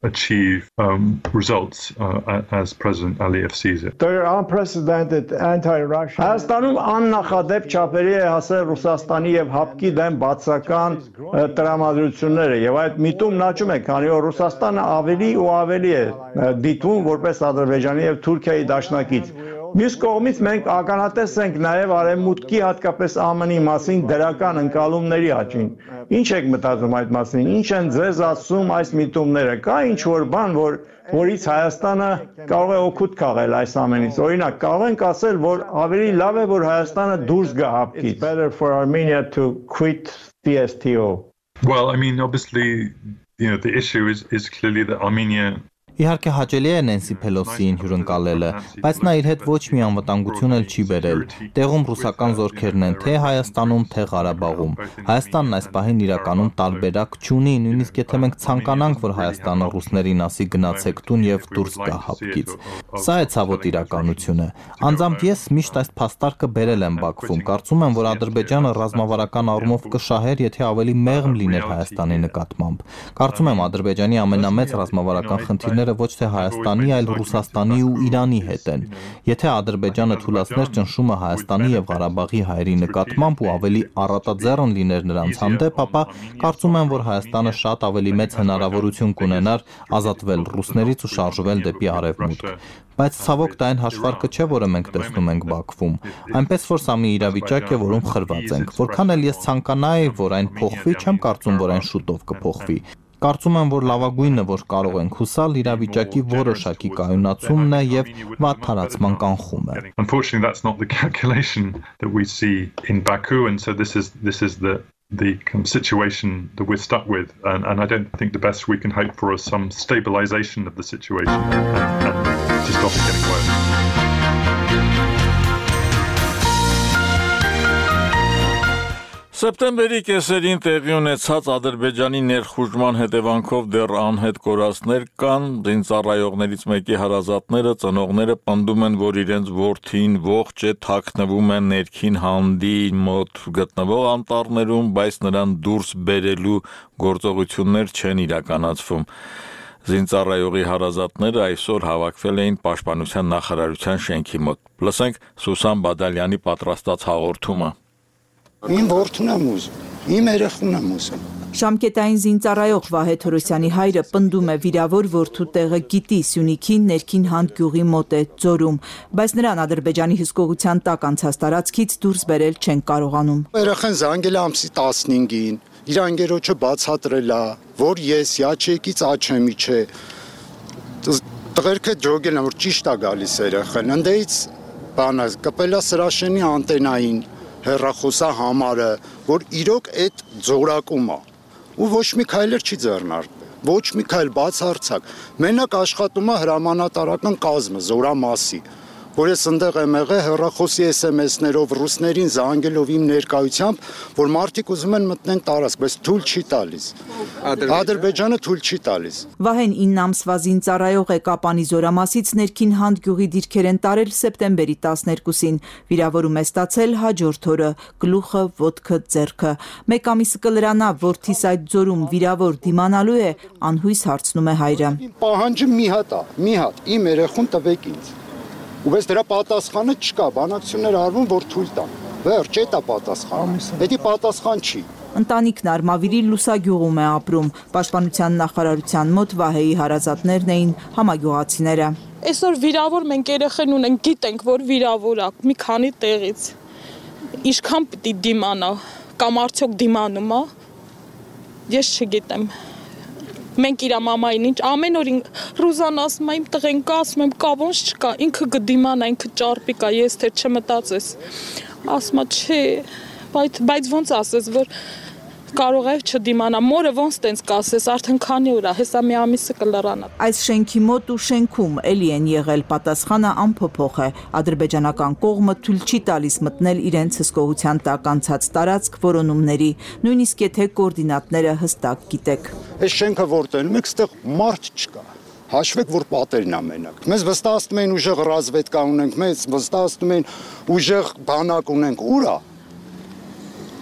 achieve um, results uh, as President Aliyev sees it. There are unprecedented anti-Russian. Հայաստանում աննախադեպ չափերի է հասել Ռուսաստանի եւ ՀԱՊԿ-ի դեմ բացական տրամադրությունները եւ այդ միտումն աճում է, քանի որ Ռուսաստանը ավելի ու ավելի է դիտվում որպես Ադրբեջանի եւ Թուրքիայի դաշնակից։ Մյուս կողմից մենք ականատես ենք նաև արևմուտքի հատկապես ԱՄՆ-ի մասին դրական ընկալումների աճին։ Ինչ եք մտածում այդ մասին։ Ինչ են ձեզ ասում այս միտումները։ Կա ինչ որ բան, որ որից Հայաստանը կարող է օգուտ քաղել այս ամենից։ Օրինակ, կարող ենք ասել, որ ավելի լավ է, որ Հայաստանը դուրս գա ՀԱՊԿ-ից. Better for Armenia to quit C S T O. Well, I mean, obviously, you know, the issue is is clearly that Armenia Իհարկե հաճելի է Նենսի Փելոսիին հյուրընկալելը, բայց նա իր հետ ոչ մի անվտանգություն էլ չի բերել։ Տեղում ռուսական զորքերն են թե Հայաստանում, թե Ղարաբաղում։ Հայաստանն այս պահին իրականում տարբերակ չունի, նույնիսկ եթե մենք ցանկանանք, որ Հայաստանը ռուսներին ասի գնացեք տուն եւ դուրս գա ՀԱՊԿ-ից։ Սա է ցավոտ իրականությունը։ Անձամբ ես միշտ այս փաստարկը բերել եմ Բաքվում։ Կարծում եմ, որ Ադրբեջանը ռազմավարական առումով կշահեր, եթե ավելի մեղմ լիներ Հայաստանի նկատմամբ։ Կարծում եմ Ադրբեջանի ամենամեծ ռազմավարական խնդիրները ոչ թե Հայաստանի, այլ Ռուսաստանի ու Իրանի հետ են։ Եթե Ադրբեջանը թուլացներ ճնշումը Հայաստանի եւ Ղարաբաղի հայերի նկատմամբ ու ավելի առատաձեռն լիներ նրանց հանդեպ, ապա կարծում եմ, որ Հայաստանը շատ ավելի մեծ հնարավորություն կունենար ազատվել ռուսներից ու շարժվել դեպի արևմուտք։ Բայց ցավոք դա այն հաշվարկը չէ, որը մենք տեսնում ենք Բաքվում։ Այնպես որ սա մի իրավիճակ է, որում խրված ենք։ Որքան էլ ես ցանկանայի, որ այն փոխվի, չեմ կարծում, որ այն շուտով կփոխվի։ Կարծում եմ, որ լավագույնը, որ կարող ենք հուսալ, իրավիճակի որոշակի կայունացումն է եւ վատ թարացման կանխում է։ Unfortunately, that's not the calculation that we see in Baku, and so this is this is the the kind of situation that we're stuck with, and, and I don't think the best we can hope for is some stabilization of the situation and, and to stop it getting worse. Սեպտեմբերի կեսերին տեղի ունեցած Ադրբեջանի ներխուժման հետևանքով դեռ անհետ կորածներ կան, զինծառայողներից մեկի հարազատները, ծնողները պնդում են, որ իրենց որդին ողջ է, թաքնվում է ներքին հանդի մոտ գտնվող անտառներում, բայց նրան դուրս բերելու գործողություններ չեն իրականացվում։ Զինծառայողի հարազատները այսօր հավաքվել էին Պաշտպանության նախարարության շենքի մոտ։ Լսենք Սուսան Բադալյանի պատրաստած հաղորդումը։ Իմ որդուն եմ ուզում, իմ երեխուն եմ ուզում։ Ժամկետային զինծառայող Վահե Թորոսյանի հայրը պնդում է վիրավոր որդու տեղը գիտի Սյունիքին ներքին հանդ գյուղի մոտ է ձորում, բայց նրան Ադրբեջանի հսկողության տակ անցած տարածքից դուրս բերել չեն կարողանում։ Երեխան զանգել է ամսի տասնհինգին, իր անգերոջը բացատրել է, որ ես յաչեկից աչեմի չէ։ Տղերքը ջոգել են, որ ճիշտ է գալիս երեխան։ Ընդեից բանը կպել է սրաշենի անտենային հեռախոսա համարը, որ իրոք այդ ձորակում է։ Ու ոչ մի քայլեր չի ձեռնարկվել, ոչ մի քայլ բացարձակ։ Մենակ աշխատում է հրամանատարական կազմը զորամասի, որ ես ընդեղ եմ եղել հեռախոսի էս էմ էսներով ռուսներին զանգելով իմ ներկայությամբ, որ մարդիկ ուզում են մտնեն տարածք, բայց թույլ չի տալիս։ Ադրբեջանը թույլ չի տալիս։ Վահեն ինը ամսվա զինծառայող է Կապանի զորամասից ներքին Հանդ գյուղի դիրքեր են տարել սեպտեմբերի տասներկուսին։ Վիրավորում է ստացել հաջորդ օրը, գլուխը, ոտքը, ձեռքը։ Մեկ ամիսը կլրանա, որդիս այդ ձորում վիրավոր դիմանալու է, անհույս հարցնում է հայրը։ Պահանջը մի հատ է, մի հատ, իմ երեխուն տվեք ինձ։ Ու բայց դրա պատասխանը չկա, բանակցություններ արվում, որ թույլ տան։ Վերջ, այդ է պատասխանը։ Դա պատասխան չի։ Ընտանիքն Արմավիրի Լուսագյուղում է ապրում։ Պաշտպանության նախարարության մոտ Վահեի հարազատներն էին համագյուղացիները։ Այսօր վիրավոր մենք երեխեն ունենք, գիտենք, որ վիրավոր է մի քանի տեղից։ Ինչքան պիտի դիմանա, կամ արդյոք դիմանում է։ Ես չգիտեմ։ Մենք իր մամային ինչ ամեն օր Ռուզան ասում է իմ տղեն կա, ասում եմ կա ոնց չկա, ինքը կդիմանա, ինքը ճարպիկ է, ես թե չմտածես։ Ասում է չէ, բայց բայց ոնց ասես, որ կարող է չդիմանա, մորը ոնց տենց կասես, արդեն քանի օր է, հեսա մի ամիսը կլրանա։ Այս շենքի մոտ ու շենքում էլի են եղել, պատասխանը անփոփոխ է։ Ադրբեջանական կողմը թույլ չի տալիս մտնել իրենց հսկողության տակ անցած տարածք որոնումների, նույնիսկ եթե կոորդինատները հստակ գիտեք։ Այս շենքը որտեղում եք, ստեղ մարդ չկա։ Հաշվեք, որ պատերն է մենակ։ Մեզ վստահում են ուժեղ ռազմետկա ունենք, մեզ վստահում են ուժեղ բանակ ունենք, ուր է։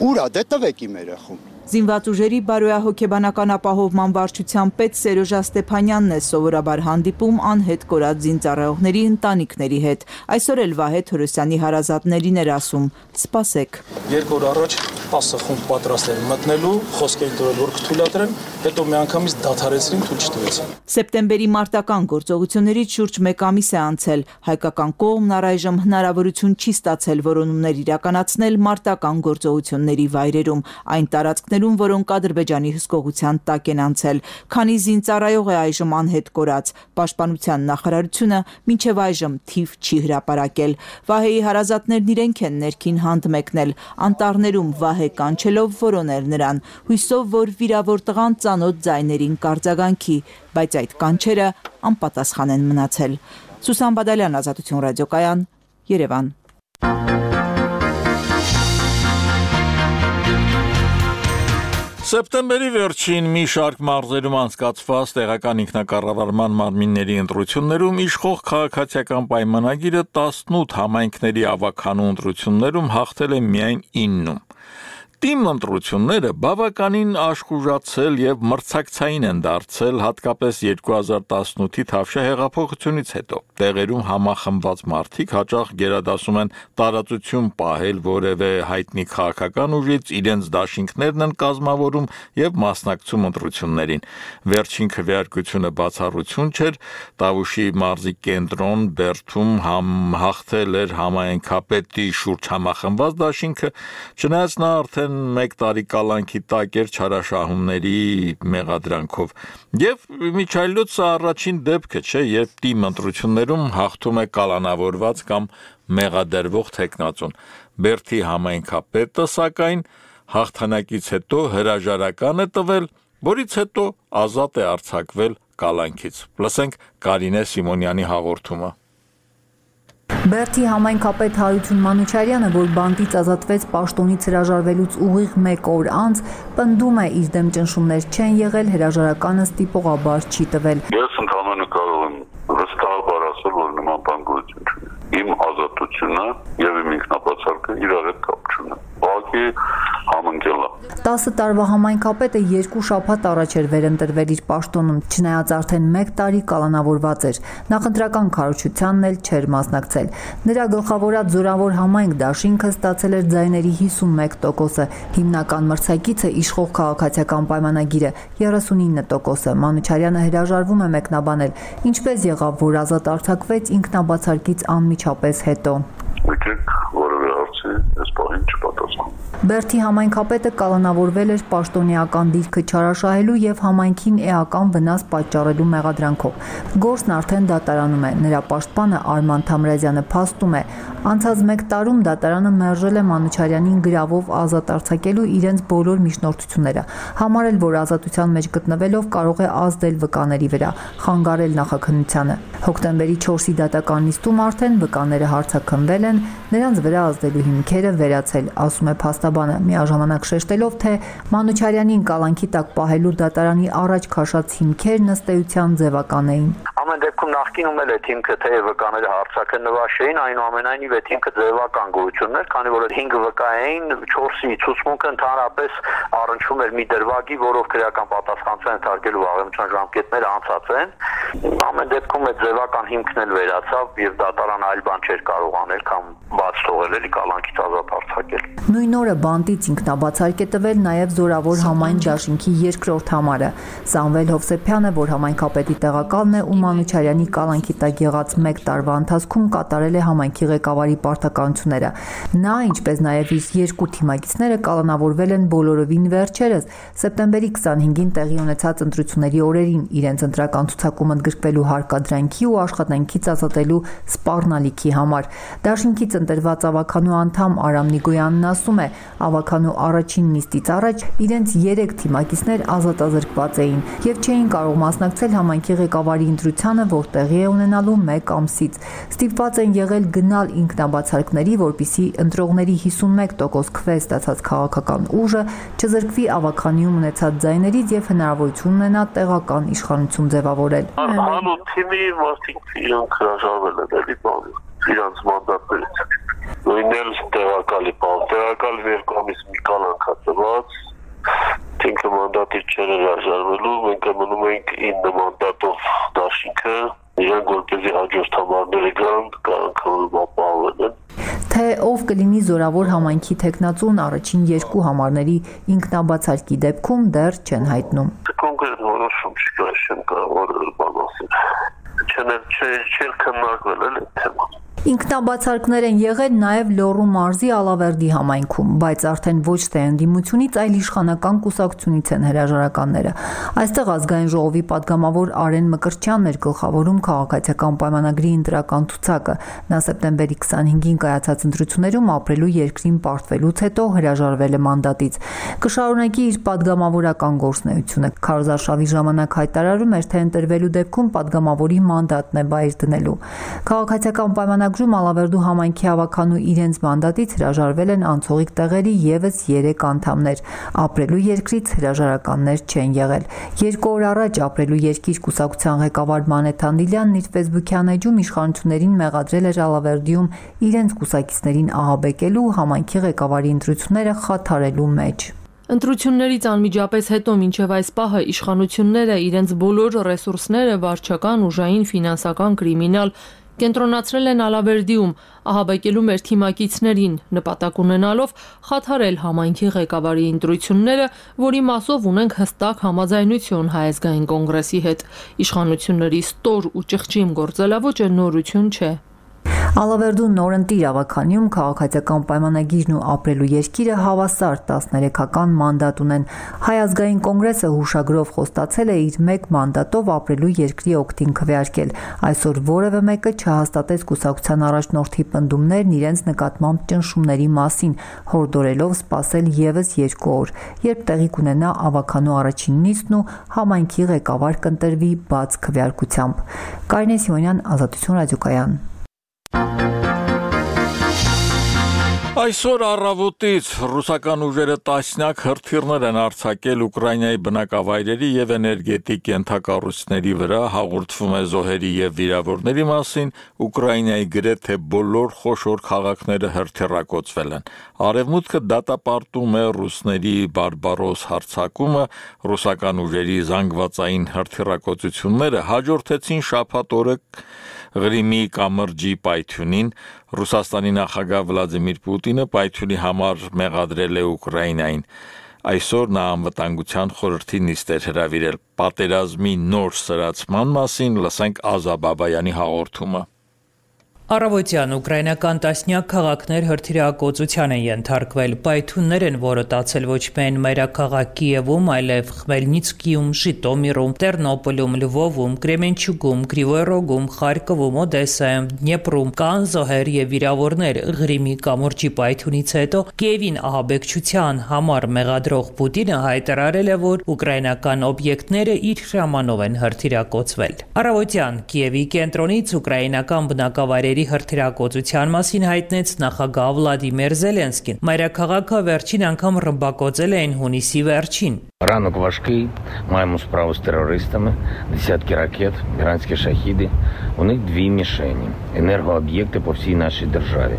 Ուր է, դե տվեք իմ երեխուն։ Զինված ուժերի բարոյահոգեբանական ապահովման վարչության պետ Սերոժա Ստեփանյանն է սովորաբար հանդիպում անհետ կորած զինծառայողների ընտանիքների հետ։ Այսօր էլ Վահե Թորոսյանի հարազատներին էր ասում. «Սպասեք»։ Երկու օր առաջ տասը խումբ պատրաստ են մտնելու, խոսք էին տվել, որ կթույլատրեն, հետո միանգամից դադարեցրին, թույլ չտվեցին։ Սեպտեմբերի մարտական գործողություններից շուրջ մեկ ամիս է անցել։ Հայկական կողմն առայժմ հնարավորություն չի ստացել որոնումներ իրականացնել մարտական գործողությունների վայրերում, այն տարածքներում, որոնք Ադրբեջանի հսկողության տակ են անցել։ Քանի զինծառայող է այժմ անհետ կորած, Պաշտպանության նախարարությունը մինչև այժմ թիվ չի հրապարակել։ Վահեի հարազատներն իրենք են ներքին Հանդ մեկնել, անտառներում Վահե կանչելով որոնել նրան, հույսով, որ վիրավոր տղան ծանոթ ձայներին կարձագանքի, բայց այդ կանչերը անպատասխան են մնացել։ Սուսան Բադալյան, Ազատություն ռադիոկայան, Երևան։ Սեպտեմբերի վերջին մի շարք մարզերում անցկացված տեղական ինքնակառավարման մարմինների ընտրություններում իշխող քաղաքացիական պայմանագիրը տասնութ համայնքների ավականու ընտրություններում հաղթել է միայն իննում։ Թիմ ընտրությունները բավականին աշխուժացել եւ մրցակցային են դարձել հատկապես երկու հազար տասնութի Թավշյա հեղափոխությունից հետո։ Տեղերում համախմբված մարդիկ հաճախ գերադասում են տարածություն պահել որևէ հայտնի քաղաքական ուժից, իրենց դաշինքներն են կազմավորում եւ մասնակցում ընտրություններին։ Վերջին քվեարկությունը բացառություն չէր, Տավուշի մարզի կենտրոն Բերդում համ հաղթել էր համայնքապետի շուրջ համախմբված դաշինքը, չնայած նա արդեն մեկ տարի կալանքի տակ էր չարաշահումների մեղադրանքով։ Եվ միջայլոցը առաջին դեպքը չէ, երբ թիմ ընտրություններում հաղթում է կալանավորված կամ մեղադրվող թեկնածուն։ Բերդի համայնքապետը սակայն հաղթանակից հետո հրաժարական է տվել, որից հետո ազատ է արձակվել կալանքից։ Լսենք Կարինե Սիմոնյանի հաղորդումը։ Բերդի համայնքապետ Հարություն Մանուչարյանը, որ բանտից ազատվեց պաշտոնից հրաժարվելուց ուղիղ մեկ օր անց, պնդում է իր դեմ ճնշումներ չեն եղել, հրաժարականը ստիպողաբար չի տվել։ Ես ընդհանրապես կարող եմ վստահաբար ասել, որ նման բան գոյություն չունի։ Իմ ազատությունը եւ իմ ինքնաբացարկը իրար հետ կապ չունեն։ Ուղղակի համընկել է։ տասը տարվա համայնքապետը երկու շաբաթ առաջ էր վերընտրվել իր պաշտոնում, չնայած արդեն մեկ տարի կալանավորված էր, նախընտրական քարոզչությանն էլ չէր մասնակցել։ Նրա գլխավորած զորավոր համայնք դաշինքը ստացել էր ձայների հիսունմեկ տոկոսը, հիմնական մրցակիցը իշխող քաղաքացիական պայմանագիրը երեսունինը տոկոսը։ Մանուչարյանը հրաժարվում է մեկնաբանել, ինչպես եղավ, որ ազատ արձակվեց ինքնաբացարկից անմիջապես հետո։ Եկեք որևէ հարց այդպեսի այս բանին չպատասխան։ Բերդի համայնքապետը կալանավորվել էր պաշտոնեական դիրքը չարաշահելու եւ համայնքին էական վնաս պատճառելու մեղադրանքով։ Գործն արդեն դատարանում է։ Նրա պաշտպանը Արման Թամրազյանը փաստում է, անցած մեկ տարում դատարանը մերժել է Մանուչարյանին գրավով ազատ արձակելու իրենց բոլոր միջնորդությունները, համարել, որ ազատության մեջ գտնվելով կարող է ազդել վկաների վրա, խանգարել նախաքննությանը։ Հոկտեմբերի չորսի դատական նիստում արդեն վկաները հարցաքննվել են, նրանց վրա ազդելու հիմքերը վերացել, ասում է փաստաբանը, միաժամանակ շեշտելով, թե Մանուչարյանին կալանքի տակ պահելու դատարանի առաջ քաշած հիմքերն ըստ էության ձևական էին։ Ամեն դեպքում նախկինում էլ այդ հիմքը թե վկաները հարցաքննված չէին, այնուամենայնիվ այդ հիմքը ձևական գոյություն ուներ, քանի որ հինգ վկա էին, չորսի ցուցմունքը ընդհանրապես առնչվում էր մի դրվագի, որով քրեական պատասխանատվության ենթարկելու վաղեմության ժամկետները անցած են։ Ամեն դեպքում այդ ձևական հիմքն էլ վերացավ եւ դատարան այլ բան չէր կարող անել, քան բաց թողել էլի կալանքից ազատ արձակել։ Նույն օրը բանտից ինքնաբացարկ է տվել նաև Զորավոր համայն դաշինքի երկրորդ համարը։ Սամվել Հովսեփյանը, որ համայնքապետի տեղակալն է ու Մանուչարյանի կալանքի տակ եղած մեկ տարվա ընթացքում կատարել է համայնքի ղեկավարի պարտականությունները։ Նա, ինչպես նաև իր երկու թիմակիցները կալանավորվել են բոլորովին վերջերս, սեպտեմբերի քսանհինգին տեղի ունեցած ընտրությունների օրերին իրենց ընտրական ցուցակում ընդգրկվելու հարկադրանքի ու աշխատանքից ազատելու սպառնալիքի համար։ Դաշինքից ընտրված ավականու անդամ Արամ Նիգոյանն ասում է, ավականու առաջին նիստից առաջ իրենց երեք թիմակիցներ ազատազրկված էին եւ չէին կարող մասնակցել համայնքի ղեկավարի ընտրությանը, որ տեղի է ունենալու մեկ ամսից։ Ստիպված են եղել գնալ ինքնաբացարկների, որպիսի ընտրողների հիսունմեկ տոկոս քվե ստացած քաղաքական ուժը չզրկվի ավականիում ունեցած ձայներից եւ հնարավորություն ունենա տեղական իշխանություն ձևավորել։ Հանու թիմի մարդիկ իրանք հրաժարվել են էլի բանը, իրանց մանդատներից։ Նույնն էլ տեղակալի բան, տեղակալի երկու ամիս մի կալանք է տված, ինքը մանդատից չէր հրաժարվելու, մենք մնում ենք ինը մանդատով դաշինքը, իրենք որպեսզի հաջորդ համարները գան, կալանքը ապահովել են։ Թե ով կլինի Զորավոր համայնքի թեկնածուն առաջին երկու համարների ինքնաբացարկի դեպքում դեռ չեն հայտնում։ Կոնկրետ որոշում չկա, չեմ կարող բան ասել։ Չեն չէր քննարկվել էլ այդ թեման։ Ինքնաբացարկներ են եղել նաև Լոռու մարզի Ալավերդի համայնքում, բայց արդեն ոչ թե ընդդիմությունից, այլ իշխանական կուսակցությունից են հրաժարականները։ Այստեղ ազգային ժողովի падգամավոր Արեն Մկրտչյանն էր գլխավորում քաղաքացիական պայմանագրի ընտրական ցուցակը։ Նա սեպտեմբերի քսանհինգին կայացած ընտրություններում ապրելու երկրին պարտվելուց հետո հրաժարվել է մանդատից։ Կշարունակի իր падգամավորական գործունեությունը։ Քարոզարշավի ժամանակ հայտարարում էր, թե ընտրվելու դեպքում падգամավորի մանդատն է բայր դնելու։ Քաղաքացիական պայմանագրի Ջում Ալավերդու համայնքի ավականու իրենց մանդատից հրաժարվել են անցողիկ տեղերի եւս երեք անդամներ։ Ապրելու երկրից հրաժարականներ չեն եղել։ Երկու օր առաջ Ապրելու երկիր կուսակցության ղեկավար Մանեթ Անդիլյանն իր ֆեյսբուքյան էջում իշխանություններին մեղադրել էր Ալավերդիում իրենց կուսակիցներին ահաբեկելու, համայնքի ղեկավարի ընտրությունները խաթարելու մեջ։ Ընտրություններից անմիջապես հետո մինչև այս պահը իշխանությունները իրենց բոլոր ռեսուրսները վարչական, ուժային, ֆինանսական, կրիմինալ կենտրոնացրել են Ալավերդիում, ահաբեկելու մեր թիմակիցներին, նպատակ ունենալով խաթարել համայնքի ղեկավարի ընտրությունները, որի մասով ունենք հստակ համաձայնություն Հայ ազգային կոնգրեսի հետ։ Իշխանությունների ստոր ու ճղճիմ գործելավոճը նորություն չէ։ Ալավերդու նորընտիր ավականիում քաղաքացիական պայմանագիրն ու ապրելու երկիրը հավասար տասներեքական մանդատ ունեն։ Հայ ազգային կոնգրեսը հուշագրով խոստացել է իր մեկ մանդատով ապրելու երկրի օգտին քվեարկել։ Այսօր որևէ մեկը չհաստատեց կուսակցության առաջնորդի պնդումներն իրենց նկատմամբ ճնշումների մասին, հորդորելով սպասել եւս երկու օր, երբ տեղի կունենա ավականու առաջին նիստն ու համայնքի ղեկավար կընտրվի բաց քվեարկությամբ։ Կարինե Սիմոնյան, Ազատություն ռադիոկայան։ Այսօր առավոտից ռուսական ուժերը տասնյակ հրթիռներ են արձակել Ուկրաինայի բնակավայրերի եւ էներգետիկ ենթակառույցների վրա, հաղորդվում է զոհերի եւ վիրավորների մասին, Ուկրաինայի գրեթե բոլոր խոշոր քաղաքները հրթիռակոծվել են։ Արևմուտքը դատապարտում է ռուսների բարբարոս հարձակումը, ռուսական ուժերի զանգվածային հրթիռակոծությունները հաջորդեցին շաբաթ օրը Ղրիմի կամրջի պայթյունին, Ռուսաստանի նախագահ Վլադիմիր Պուտինը պայթյունի համար մեղադրել է Ուկրաինային։ Այսօր նա անվտանգության խորհրդի նիստ էր հրավիրել։ Պատերազմի նոր սրացման մասին լսենք Ազա Բաբայանի հաղորդումը։ Առավոտյան ուկրաինական տասնյակ քաղաքներ հրթիռակոծության են ենթարկվել, պայթյուններ են որոտացել ոչ միայն մայրաքաղաք Կիևում, այլև Խմելնիցկիում, Ժիտոմիրում, Տերնոպոլում, Լվովում, Կրեմենչուկում, Կրիվոյ Ռոգում, Խարկովում, Օդեսայում, Դնեպրում կան զոհեր եւ վիրավորներ։ Ղրիմի կամուրջի պայթյունից հետո Կիևին ահաբեկչության համար մեղադրող Պուտինը հայտարարել է, որ ուկրաինական օբյեկտները իր հրամանով են հրթիռակոծվել։ Առավոտյան Կիևի կենտրոնից ուկրաինական բնակավայրերի հրթիռակոծության մասին հայտնեց նախագահ Վլադիմիր Զելենսկին։ Մայրաքաղաքը վերջին անգամ ռմբակոծել էին հունիսի վերջին։ Ранок важкий, маємо справу з терористами, десятки ракет, іранські шахіди. У них дві мішені, енергооб'єкти по всій нашій державі.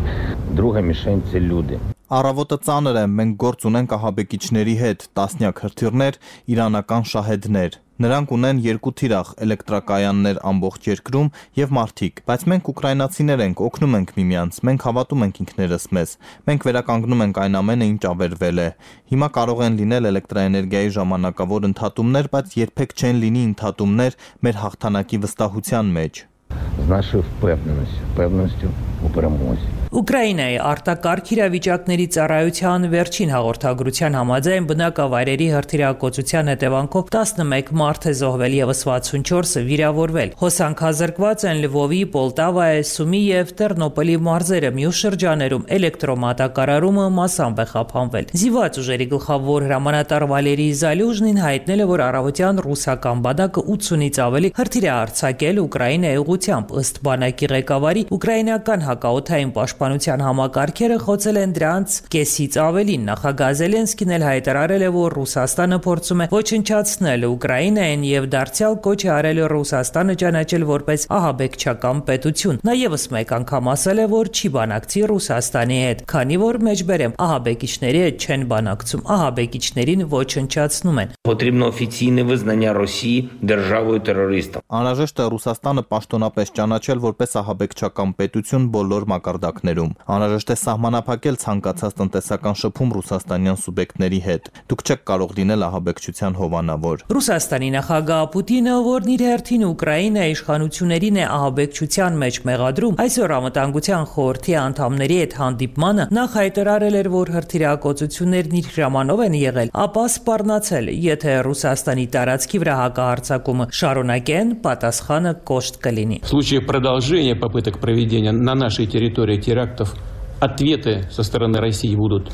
Друга мішень – це люди. Առավոտը ծանր է, մենք գործ ունենք ահաբեկիչների հետ, տասնյակ հրթիռներ, իրանական շահեդներ։ Նրանք ունեն երկու թիրախ էլեկտրակայաններ ամբողջ երկրում եւ մարդիկ, բայց մենք ուկրաինացիներ ենք, օգնում ենք միմյանց, մենք հավատում ենք ինքներս մեզ։ Մենք վերականգնում ենք այն ամենը, ինչ ավերվել է։ Հիմա կարող են լինել էլեկտրաէներգիայի ժամանակավոր ընդհատումներ, բայց երբեք չեն լինի ընդհատումներ մեր հաղթանակի վստահության մեջ։ З нашою впевненістю, впевненістю у перемозі. Ուկրաինայի արտակարգ իրավիճակների ծառայության վերջին հաղորդագրության համաձայն բնակավայրերի հրթիռակոծության հետևանքով տասնմեկ մարդ է զոհվել եւ վաթսունչորսը վիրավորվել։ Հոսանքազրկված են Լվովի, Պոլտավայի, Սումի եւ Տերնոպոլի մարզերը, մյուս շրջաներում էլեկտրոմատակարարումը մասամբ է խափանվել։ Զիվաց ուժերի գլխավոր հրամանատար Վալերի Զալյուժնին հայտնել է, որ առավոտյան ռուսական բանակը ութսունից ավելի հրթիռ է արձակել Ուկրաինայի ուղղությամբ։ Ըստ բանակի ղեկավարի, ուկրաինական հակաօդային պաշտպանության համակարգերը խոցել են դրանց կեսից ավելին։ Նախագահ Զելենսկին էլ հայտարարել է, որ Ռուսաստանը փորձում է ոչնչացնել Ուկրաինային եւ դարձյալ կոչ է արել Ռուսաստանը ճանաչել որպես ահաբեկչական պետություն։ Նա եւս մեկ անգամ ասել է, որ չի բանակցի Ռուսաստանի հետ, քանի որ մեջբերեմ ահաբեկիչների հետ չեն բանակցում, ահաբեկիչներին ոչնչացնում են։ Потрібно офіційне визнання Росії державою терористом. Անհրաժեշտ է Ռուսաստանը պաշտոնապես ճանաչել որպես ահաբեկչական պետություն բոլոր մակարդակներում։ Անհրաժեշտ է սահմանափակել ցանկացած տնտեսական շփում ռուսաստանյան սուբյեկտների հետ։ Դուք չեք կարող լինել ահաբեկչության հովանավոր։ Ռուսաստանի նախագահ Պուտինը, որն իր հերթին Ուկրաինայի իշխանություններին է ահաբեկչության մեջ մեղադրում, այսօր անվտանգության խորհրդի անդամների հետ հանդիպմանը նախ հայտարարել էր, որ հրթիռակոծություններն իր հրամանով են եղել, ապա սպառնացել, եթե Ռուսաստանի տարածքի վրա հակահարձակումը շարունակեն, պատասխանը կոշտ կլինի։ В случае продолжения попыток проведения на нашей территории терактов, ответы со стороны России будут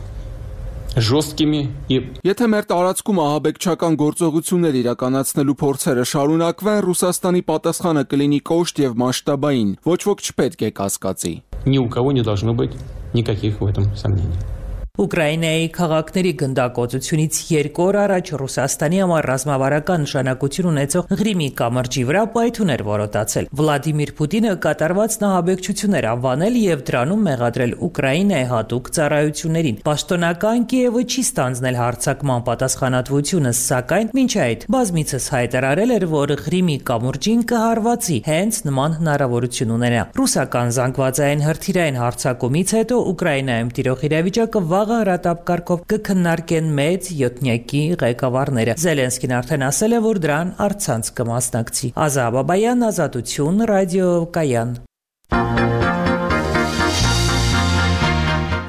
жесткими и Եթե մեր տարածքում ահաբեկչական գործողություններ իրականացնելու փորձերը շարունակվեն, Ռուսաստանի պատասխանը կլինի կոշտ եւ մասշտաբային, ոչ ոք չպետք է կասկածի։ Ни у кого не должно быть никаких в этом сомнений. Ուկրաինայի քաղաքների գնդակոծությունից երկու օր առաջ Ռուսաստանի համար ռազմավարական նշանակություն ունեցող Ղրիմի կամրջի վրա պայթյուններ որոտացել։ Վլադիմիր Պուտինը կատարված նահաբեկչություններ անվանել եւ դրանում մեղադրել Ուկրաինայի հատուկ ծառայություններին։ Պաշտոնական Կիևը չի ստանձնել հարձակման պատասխանատվությունը, սակայն մինչ այդ բազմիցս հայտարարել էր, որ Ղրիմի կամուրջին կհարվածի հենց նման հնարավորություն ունենա։ Ռուսական զանգվածային հրթիռային հարձակումից հետո Ուկրաինայում տիրող իրավիճակը վաղ հրատապ կարգով կքննարկեն մեծ յոթնյակի ղեկավարները։ Զելենսկին արդեն ասել է, որ դրան առցանց կմասնակցի։ Ազա Բաբայան, Ազատություն, ռադիո Կայան։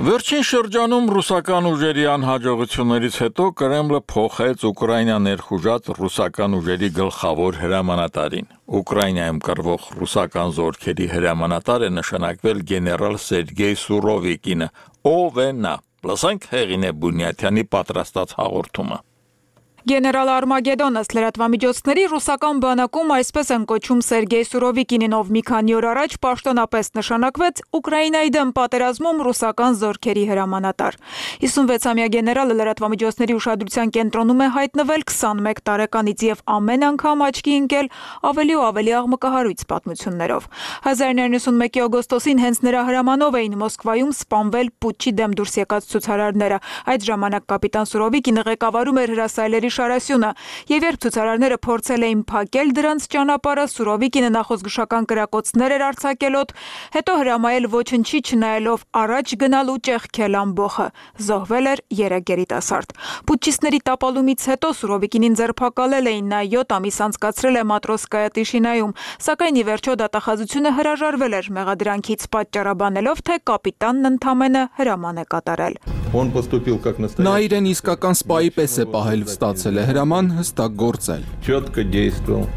Վերջին շրջանում ռուսական ուժերի անհաջողություններից հետո Կրեմլը փոխեց Ուկրաինա ներխուժած ռուսական ուժերի գլխավոր հրամանատարին։ Ուկրաինայում կռվող ռուսական զորքերի հրամանատար է նշանակվել գեներալ Սերգեյ Սուրովիկինը։ Ով է նա։ Լսենք Հեղինե Բունյաթյանի պատրաստած հաղորդումը։ Գեներալ Արմագեդոն ըստ լրատվամիջոցների ռուսական բանակում այսպես են կոչում Սերգեյ Սուրովիկինին, ով մի քանի օր առաջ պաշտոնապես նշանակվեց Ուկրաինայի դեմ պատերազմում ռուսական զորքերի հրամանատար։ հիսունվեցամյա գեներալը լրատվամիջոցների ուշադրության կենտրոնում է հայտնվել քսանմեկ տարեկանից եւ ամեն անգամ աչքի ընկել ավելի ու ավելի աղմկահարույց պատմություններով։ հազար նոյ հարյուր նվաթ օգոստոսին հենց նրա հրամանով էին Մոսկվայում սպանվել պուտչի դեմ դուրս եկած ցուցարարները։ Այդ ժամանակ կապիտան Սուրովիկինը ղեկավարում էր հրասայլերի Ռուստամի Շարասյունը, եւ երբ ցուցարարները փորձել էին փակել դրանց ճանապարհը, Սուրովիկինը նախոզգուշական կրակոցներ էր արձակելոտ, հետո հրամայել ոչնչի չնայելով առաջ գնալ ու ճեղքել ամբոխը։ Զոհվել էր երեք երիտասարդ։ Պուտչիստների տապալումից հետո Սուրովիկինին ձերբակալել էին, նա յոթ ամիս անցկացրել է Մատրոսկայա Տիշինայում, սակայն ի վերջո դատախազությունը հրաժարվել էր մեղադրանքից, պատճառաբանելով, թե կապիտանն ընդամենը հրաման է կատարել։ Նա իրեն իսկական սպայի պես է պահել, ստացել է հրաման, հստակ գործել։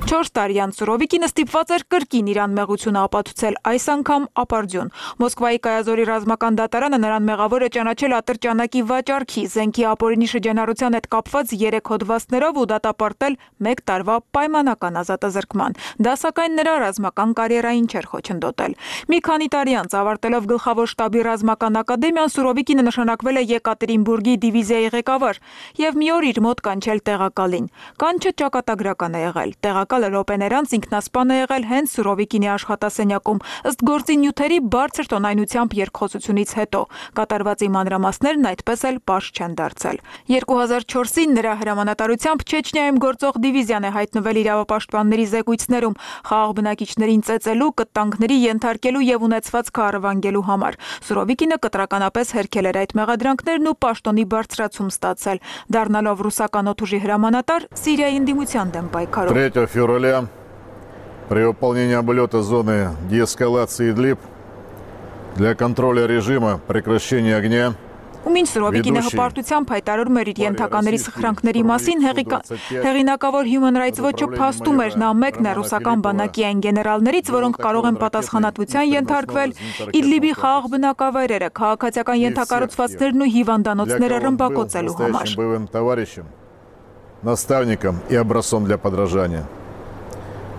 Չորս տարեյան Սուրովիկինը ստիպված էր կրկին իրան մեղությունը ապացուցել, այս անգամ ապարդյուն։ Մոսկվայի Կայազորի ռազմական դատարանը նրան մեղավոր է ճանաչել ատրճանակի վաճառքի, զենքի ապօրինի շրջանառության հետ կապված երեք հոդվածներով ու դատապարտել մեկ տարվա պայմանական ազատազրկման։ Դա սակայն նրա ռազմական կարիերային չէր խոչընդոտել։ Մի քանի տարի անց ավարտելով գլխավոր շտաբի ռազմական ակադեմիան, Սուրովիկինը նշանակվել է Եկատերինբուրգի դիվիզիայի ղեկավար եւ մի օր իր մոտ կանչել տեղակալին։ Կանչը ճակատագրական է եղել։ Տեղակալը րոպեներ անց ինքնասպան է եղել հենց Սուրովիկինի աշխատասենյակում, ըստ գործի նյութերի բարձր տոնայնությամբ երկխոսությունից հետո։ Կատարվածի մանրամասներն այդպես էլ պարզ չեն դարձել։ երկու հազար չորսին նրա հրամանատարությամբ Չեչնիայում գործող դիվիզիան է հայտնվել իրավապաշտպանների զեկույցներում խաղաղ բնակիչներին ծեծելու, կտանքների ենթարկելու եւ ունեցված քարավանգելու համար։ Սուրովիկինը կտրականապես հերքել էր այդ մեղադրանքներն ու պաշտոնի բարձրացում ստացել, դառնալով ռուսական օդուժի հրամանատար Սիրիայի ընդդիմության դեմ պայքարում։ третьего февраля при выполнении облета зоны деэскалации Идлиб для контроля режима прекращения огня Ու մինչ Սուրովիկինը հպարտությամբ հայտարարում էր իր ենթակաների սխրանքների մասին, հեղինակավոր Human Rights Watch-ը փաստում էր, նա մեկն է ռուսական բանակի այն գեներալներից, որոնք կարող են պատասխանատվության ենթարկվել Իդլիբի խաղաղ բնակավայրերը, քաղաքացիական ենթակառուցվածքներն ու հիվանդանոցները ռմբակոծելու համար։ Наставником и образцом для подражания.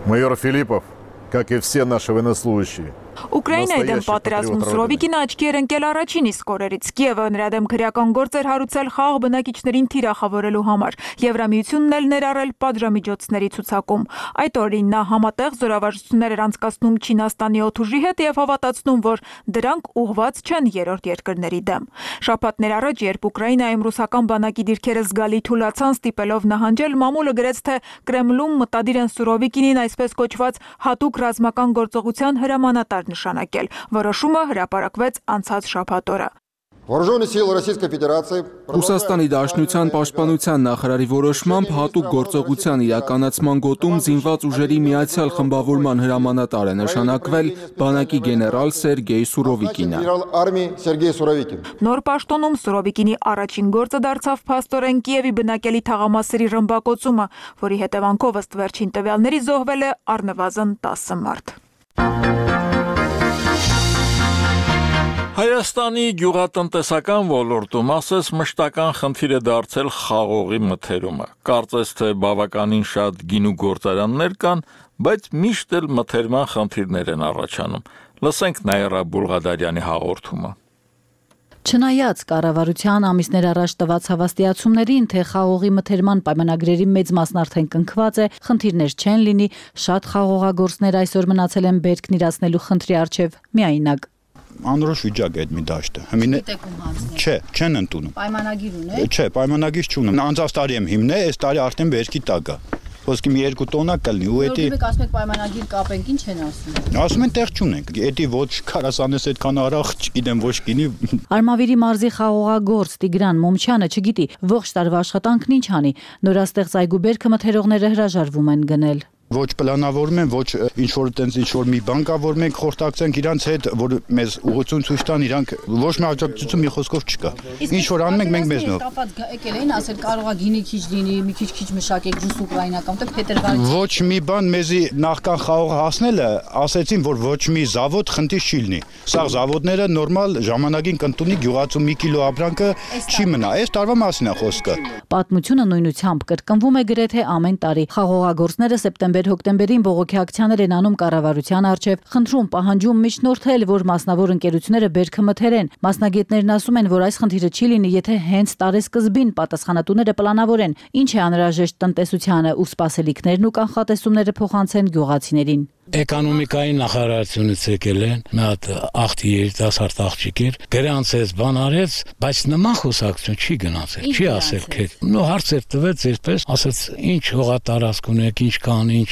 Майор Филиппов, как и все наши военнослужащие, Ուկրաինայի դեմ պատերազմում Սուրովիկինը աչքի էր ընկել առաջին իսկ օրերից։ Կիևը նրա դեմ քրեական գործ էր հարուցել խաղաղ բնակիչներին թիրախավորելու համար։ Եվրամիությունն էլ ներառել պատժամիջոցների ցուցակում։ Այդ օրին նա համատեղ զորավարժություններ էր անցկացնում Չինաստանի օդուժի հետ եւ հավատացնում, որ դրանք ուղղված չեն երրորդ երկրների դեմ։ Շաբաթներ առաջ, երբ Ուկրաինայում ռուսական բանակի դիրքերը զգալի թուլացան, ստիպելով նահանջել, մամուլը գրեց, թե Կրեմլում մտադիր են Սուրովիկինին այսպես կոչված հատուկ ռազմական գործողության հրամանատար նշանակել։ Որոշումը հրապարակվեց անցած շաբաթ օրը։ Ռուսաստանի Դաշնության պաշտպանության նախարարի որոշմամբ հատուկ գործողության իրականացման գոտում զինված ուժերի միացյալ խմբավորման հրամանատար է նշանակվել բանակի գեներալ Սերգեյ Սուրովիկինը։ Նոր պաշտոնում Սուրովիկինի առաջին գործը դարձավ փաստորեն Կիևի բնակելի թաղամասերի ռմբակոծումը, որի հետևանքով ըստ վերջին տվյալների զոհվել է առնվազն տասը մարդ։ Հայաստանի գյուղատնտեսական ոլորտում ասես մշտական խնդիր է դարձել խաղողի մթերումը։ Կարծես թե բավականին շատ գինու գործարաններ կան, բայց միշտ էլ մթերման խնդիրներ են առաջանում։ Լսենք Նաիրա Բուլղադարյանի հաղորդումը։ Չնայած կառավարության ամիսներ առաջ տված հավաստիացումներին, թե խաղողի մթերման պայմանագրերի մեծ մասն արդեն կնքված է, խնդիրներ չեն լինի, շատ խաղողագործներ այսօր մնացել են բերքն իրացնելու խնդրի առջև միայնակ։ Անորոշ վիճակ է այդ մի դաշտը։ Հիմին չէ, չեն ընդունում։ Պայմանագիր ունե։ Չէ, պայմանագիր չունեմ։ Անցած տարի եմ հիմնել, այս տարի արդեն բերքի տակ է։ Ոսկի մի երկու տոննա կլինի ու էդի։ Դուք ասում եք պայմանագիր կապենք, ինչ են ասում։ Ասում են տեղ չունենք։ Էդի ոչ քարասանես այդքան արախ, չգիտեմ ոչ գինի։ Արմավիրի մարզի խաղողագործ Տիգրան Մոմչյանը չգիտի ողջ տարվա աշխատանքն ինչ անի։ Նորաստեղծ այգու բերքը մթերողները հրաժարվում են գնել։ Ոչ պլանավորում են, ոչ ինչ որ տենց ինչ որ մի բան կա, որ մենք խորտակցենք իրանց հետ, որ մեզ ուղղություն ցույց տան, իրանք ոչ մի աջակցություն մի խոսքով չկա։ Ինչ որ անում ենք մենք մեզնով։ Կապած եկել էին ասել կարող է գինի քիչ լինի, մի քիչ-քիչ մշակեք ջուս ուկրաինական, թե փետրվարից։ Ոչ մի բան մեզի նախքան խաղողը հասնելը ասեցին, որ ոչ մի զավոդ խնդիր չի լինի։ Սա զավոդները նորմալ ժամանակին կընտունի գյուղացու մի կիլո ապրանքը չի մնա։ Այս տարվա մասին է խոսքը։ Պատմությունը նույնությամբ կրկնվում է գրեթե ամեն տարի։ Խաղողագործները սեպտեմբեր-հոկտեմբերին բողոքի ակցիաներ են անում կառավարության առջև, խնդրում պահանջում միջնորդել, որ մասնավոր ընկերությունները բերքը մթերեն։ Մասնագետներն ասում են, որ այս խնդիրը չի լինի, եթե հենց տարեսկզբին պատասխանատուները պլանավորեն, ինչ է անհրաժեշտ տնտեսությանը ու սպասելիքներն ու կանխատեսումները փոխանցեն գյուղացիներին։ էկոնոմիկայի նախարարությունից եկել են, մի հատ աղջի երիտասարդ աղջիկ էր, գրանցեց, բան արեց, բայց նման խոսակցություն չի գնացել, չի ասել թե նո հարցեր տվեց, այսպես ասած, ինչ հողատարածք ունեք, ինչ կան, ինչ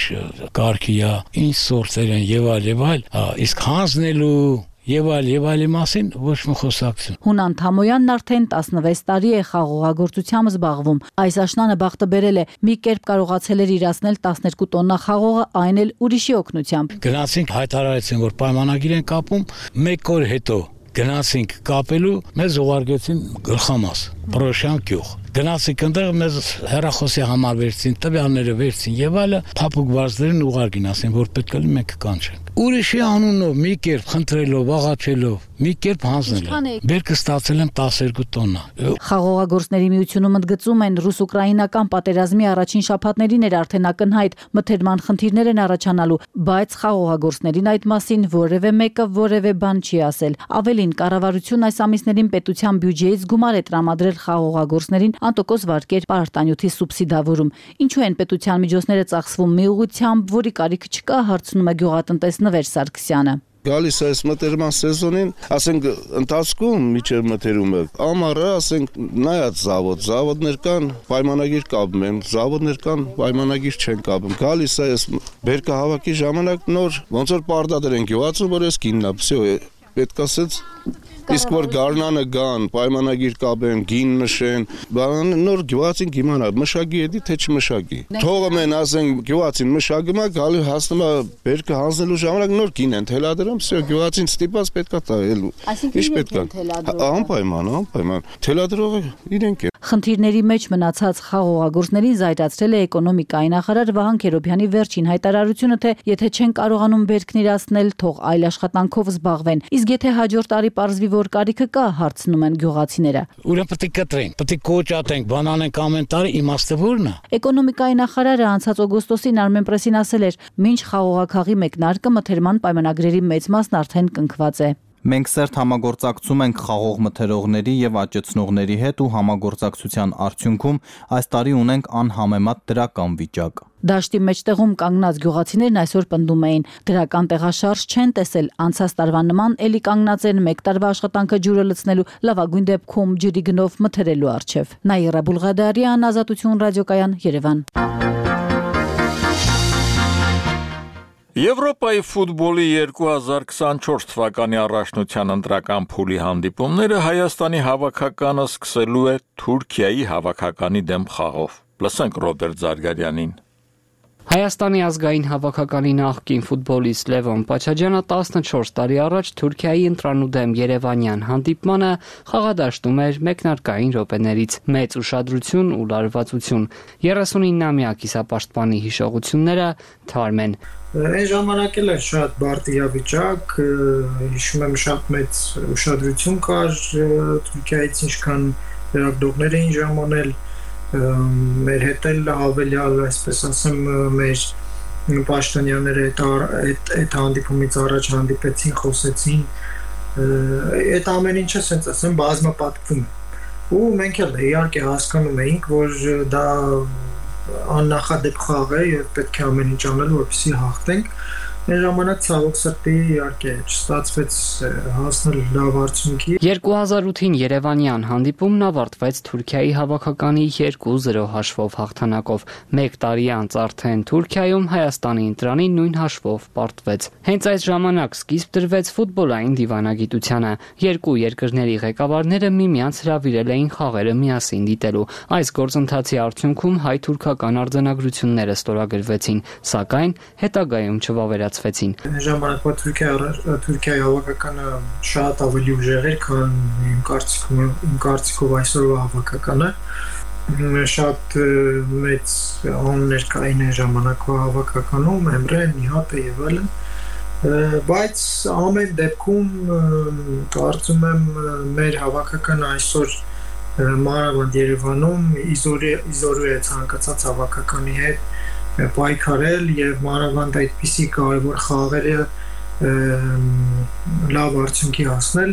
կարգի է, ինչ սորտեր են եւ այլ եւ այլ, իսկ հանձնելու Եվ այլ, եւ այլի մասին ոչ մի խոսակցություն։ Հունան Թամոյանն արդեն տասնվեց տարի է խաղողագործությամբ զբաղվում։ Այս աշնանը բախտը բերել է, մի կերպ կարողացել էր իրացնել տասներկու տոննա խաղողը, այն էլ ուրիշի օգնությամբ։ Գնացինք, հայտարարեցին, որ պայմանագիր են կապում, մեկ օր հետո գնացինք կապելու, մեզ ուղարկեցին գլխամաս, Պրոշյան գյուղ։ Գնացինք այնտեղ, մեզ հեռախոսի համար վերցին, տվյալները վերցին եւ այլը, փափուկ վարձերին ուղարկին, ասեն, որ պետք է մենք կանչենք։ Ուրիշի անունով մի կերպ խնդրելով, աղաչելով, մի կերպ հանձնել։ Բերքը ստացել եմ տասներկու տոննա։ Խաղողագործների միությունում ընդգծում են, ռուս-ուկրաինական պատերազմի առաջին շաբաթներին էր արդեն ակնհայտ մթերման խնդիրներ են առաջանալու, բայց խաղողագործներին այդ մասին որևէ մեկը որևէ բան չի ասել։ Ավելին, կառավարությունն այս ամիսներին պետության բյուջեից գումար է տրամադրել խաղողագործներին անտոկոս վարկեր պարտանյութի սուբսիդավորում։ Ինչու են պետության միջոցները ծախսվում մի ուղղությամբ, որի կարիք չկա, հարցնում է գյուղատնտեսնվեր Սարգսյանը։ Գալիս է այս մտերման սեզոնին, ասենք ընթացքում միջև մտերումը, ամառը ասենք նայած զավոդ, զավոդներ կան, պայմանագիր կապում են, զավոդներ կան, պայմանագիր չեն կապում։ Գալիս է այս բերքը հավաքի ժամանակ նոր, ոնց որ պարտադիր են գյուղացում, որ այս կինն է, всё, պետք ասեց Իսկ որ գարնանը գան, պայմանագիր կապեն, գին նշեն, բան նոր գյուղացին կիմանա, մշակի էդի թե չմշակի։ Թողում են ասենք գյուղացին մշակում է, գալի հասնում է բերքը հանձնելու ժամանակ նոր գին են թելադրում, всё գյուղացին ստիպած պետքա տայելու։ Ինչ պետք է։ Անպայման, անպայման։ Թելադրողը իրենք են։ Խնդիրների մեջ մնացած խաղողագործներին զայրացրել է էկոնոմիկայի նախարար Վահան Քերոբյանի վերջին հայտարարությունը, թե եթե չեն կարողանում բերքն իրացնել, թող այլ աշխատանքով զբաղվեն։ Իսկ եթե հաջորդ տարի պարզվի, որ կարիքը կա, հարցնում են գյուղացիները։ Ուրեմն պետք է կտրենք, պետք է կոճատենք, բան անենք ամեն տարի, իմաստը ո՞րն է։ Էկոնոմիկայի նախարարը անցած օգոստոսին Armenpress-ին ասել էր, մինչ խաղողաքաղի մեկնարկը մթերման պայմանագրերի մեծ մասն արդեն կնքված է։ Մենք սերտ համագործակցում ենք խաղող մթերողների եւ աճեցնողների հետ ու համագործակցության արդյունքում այս տարի ունենք անհամեմատ դրական վիճակ։ Դաշտի մեջտեղում կանգնած գյուղացիներն այսօր պնդում էին, դրական տեղաշարժ չեն տեսել, անցած տարվա նման էլի կանգնած են մեկ տարվա աշխատանքը ջուրը լցնելու, լավագույն դեպքում ջրի գնով մթերելու արչև։ Նաիրա Բուլղադարյան, Ազատություն ռադիոկայան, Երևան։ Եվրոպայի ֆուտբոլի երկու հազար քսանչորս թվականի առաջնության ընտրական փուլի հանդիպումները Հայաստանի հավաքականը սկսելու է Թուրքիայի հավաքականի դեմ խաղով։ Լսենք Ռոբերտ Զարգարյանին։ Հայաստանի ազգային հավաքականի նախկին ֆուտբոլիստ Լևոն Պաչաջյանը տասնչորս տարի առաջ Թուրքիայի ընտրանու դեմ երևանյան հանդիպմանը խաղադաշտում էր մեկնարկային րոպեներից մեծ ուշադրություն ու լարվածություն։ երեսունինամյա կիսապաշտպանի հիշողությունները թարմ են։ Այն ժամանակ էլ էր շատ բարդ իրավիճակ, հիշում եմ շատ մեծ ուշադրություն կար Թուրքիայից, ինչքան լրագրողներ էին ժամանել, մեր հետ էլ հավելյալ, այսպես ասեմ, մեր պաշտոնյաները այդ հանդիպումից առաջ հանդիպեցին, խոսեցին, այդ ամեն ինչը սենց ասեմ բազմապատկվում է։ Ու մենք էլ իհարկե հասկանում էինք, որ դա աննախադեպ խաղ է եւ պետք է ամեն ինչ անել, որպեսզի հաղթենք։ Այն ժամանակ ցավոք սրտի իհարկե չստացվեց հասնել լավ արդյունքի։ երկու հազար ութին երևանյան հանդիպումն ավարտվեց Թուրքիայի հավաքականի երկու զրո հաշվով հաղթանակով։ Մեկ տարի անց արդեն Թուրքիայում Հայաստանի ընտրանին նույն հաշվով պարտվեց։ Հենց այս ժամանակ սկիզբ դրվեց ֆուտբոլային դիվանագիտությանը։ Երկու երկրների ղեկավարները միմյանց հրավիրել էին խաղերը միասին դիտելու։ Այս գործընթացի արդյունքում հայ-թուրքական արձանագրությունները ստորագրվեցին, սակայն հետագայում չվավերացվեցին։ Ժամանակվա Թուրքիայի հավաքականը շատ ավելի ուժեղ էր, քան իմ կարծիքով այսօրվա հավաքականը։ Շատ մեծ անուններ կային այն ժամանակվա հավաքականում, Էմրե, Նիհատը եւ այլն։ Բայց ամեն դեպքում կարծում եմ մեր հավաքականը այսօր մանավանդ Երևանում իզորու է ցանկացած հավաքականի հետ պայքարել եւ մանավանդ այդպիսի կարևոր խաղերը լավ արդյունքի հասնել։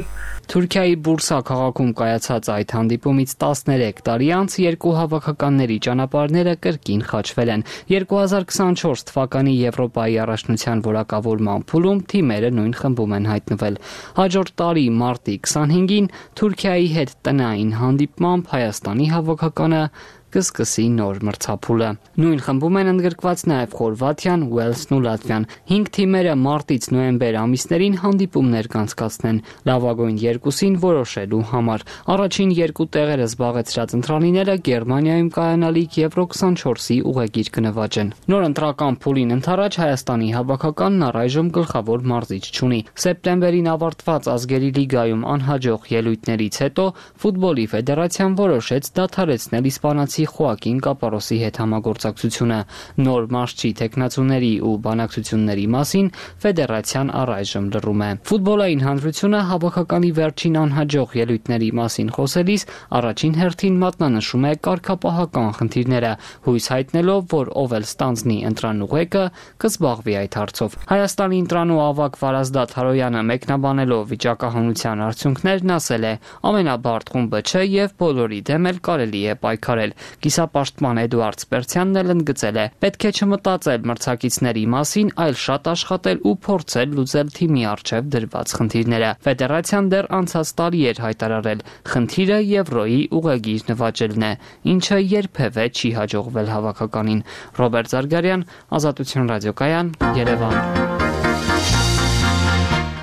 Թուրքիայի Բուրսա քաղաքում կայացած այդ հանդիպումից տասներեք տարի անց երկու հավաքականների ճանապարհները կրկին խաչվել են։ երկու հազար քսանչորս թվականի Եվրոպայի առաջնության որակավորման փուլում թիմերը նույն խմբում են հայտնվել։ Հաջորդ տարի մարտի քսանհինգին Թուրքիայի հետ տնային հանդիպմամբ Հայաստանի հավաքականը կսկսի նոր մրցափուլը։ Նույն խմբում են ընդգրկված նաև Խորվաթիան, Ուելսն ու Լատվիան։ Հինգ թիմերը մարտից նոյեմբեր ամիսներին հանդիպումներ կանցկացնեն լավագույն երկուսին որոշելու համար։ Առաջին երկու տեղերը զբաղեցրած ընտրանիները Գերմանիայում կայանալիք Եվրո քսանչորսի ուղեգիր կնվաճ են։ Նոր ընտրական փուլին ընդառաջ Հայաստանի հավաքականն առայժմ գլխավոր մարզիչ չունի։ Սեպտեմբերին ավարտված ազգերի լիգայում անհաջող ելույթներից հետո ֆուտբոլի ֆեդերացիան որոշեց դադարեցնել իսպանացի Խոակին Կապարոսի հետ համագործակցությունը։ Նոր մարզչի տեխնացուների ու բանակցությունների մասին ֆեդերացիան առայժմ լռում է։ Ֆուտբոլային հանրությունը հավաքականի վերջին անհաջող ելույթների մասին խոսելիս առաջին հերթին մատնանշում է կարգապահական խնդիրները, հույս հայտնելով, որ ով էլ ստանձնի ընտրանուղեկը կզբաղվի այդ հարցով։ Հայաստանի ընտրանու ավագ Վարազդատ Հարոյանը մեկնաբանելով վիճակահանության արդյունքներն ասել է. ամենաբարդ խումբը չէ եւ բոլորի դեմ էլ կարելի է պայքարել։ Կիսապաշտպան Էդուարդ Սպերցյանն էլ ընդգծել է. պետք է չմտածել մրցակիցների մասին, այլ շատ աշխատել ու փորձել լուծել թիմի առջև դրված խնդիրները։ Ֆեդերացիան դեռ անցած տարի էր հայտարարել, խնդիրը Եվրոյի ուղեգիր նվաճելն է, ինչը երբևէ չի հաջողվել հավաքականին։ Ռոբերտ Զարգարյան, Ազատություն ռադիոկայան, Երևան։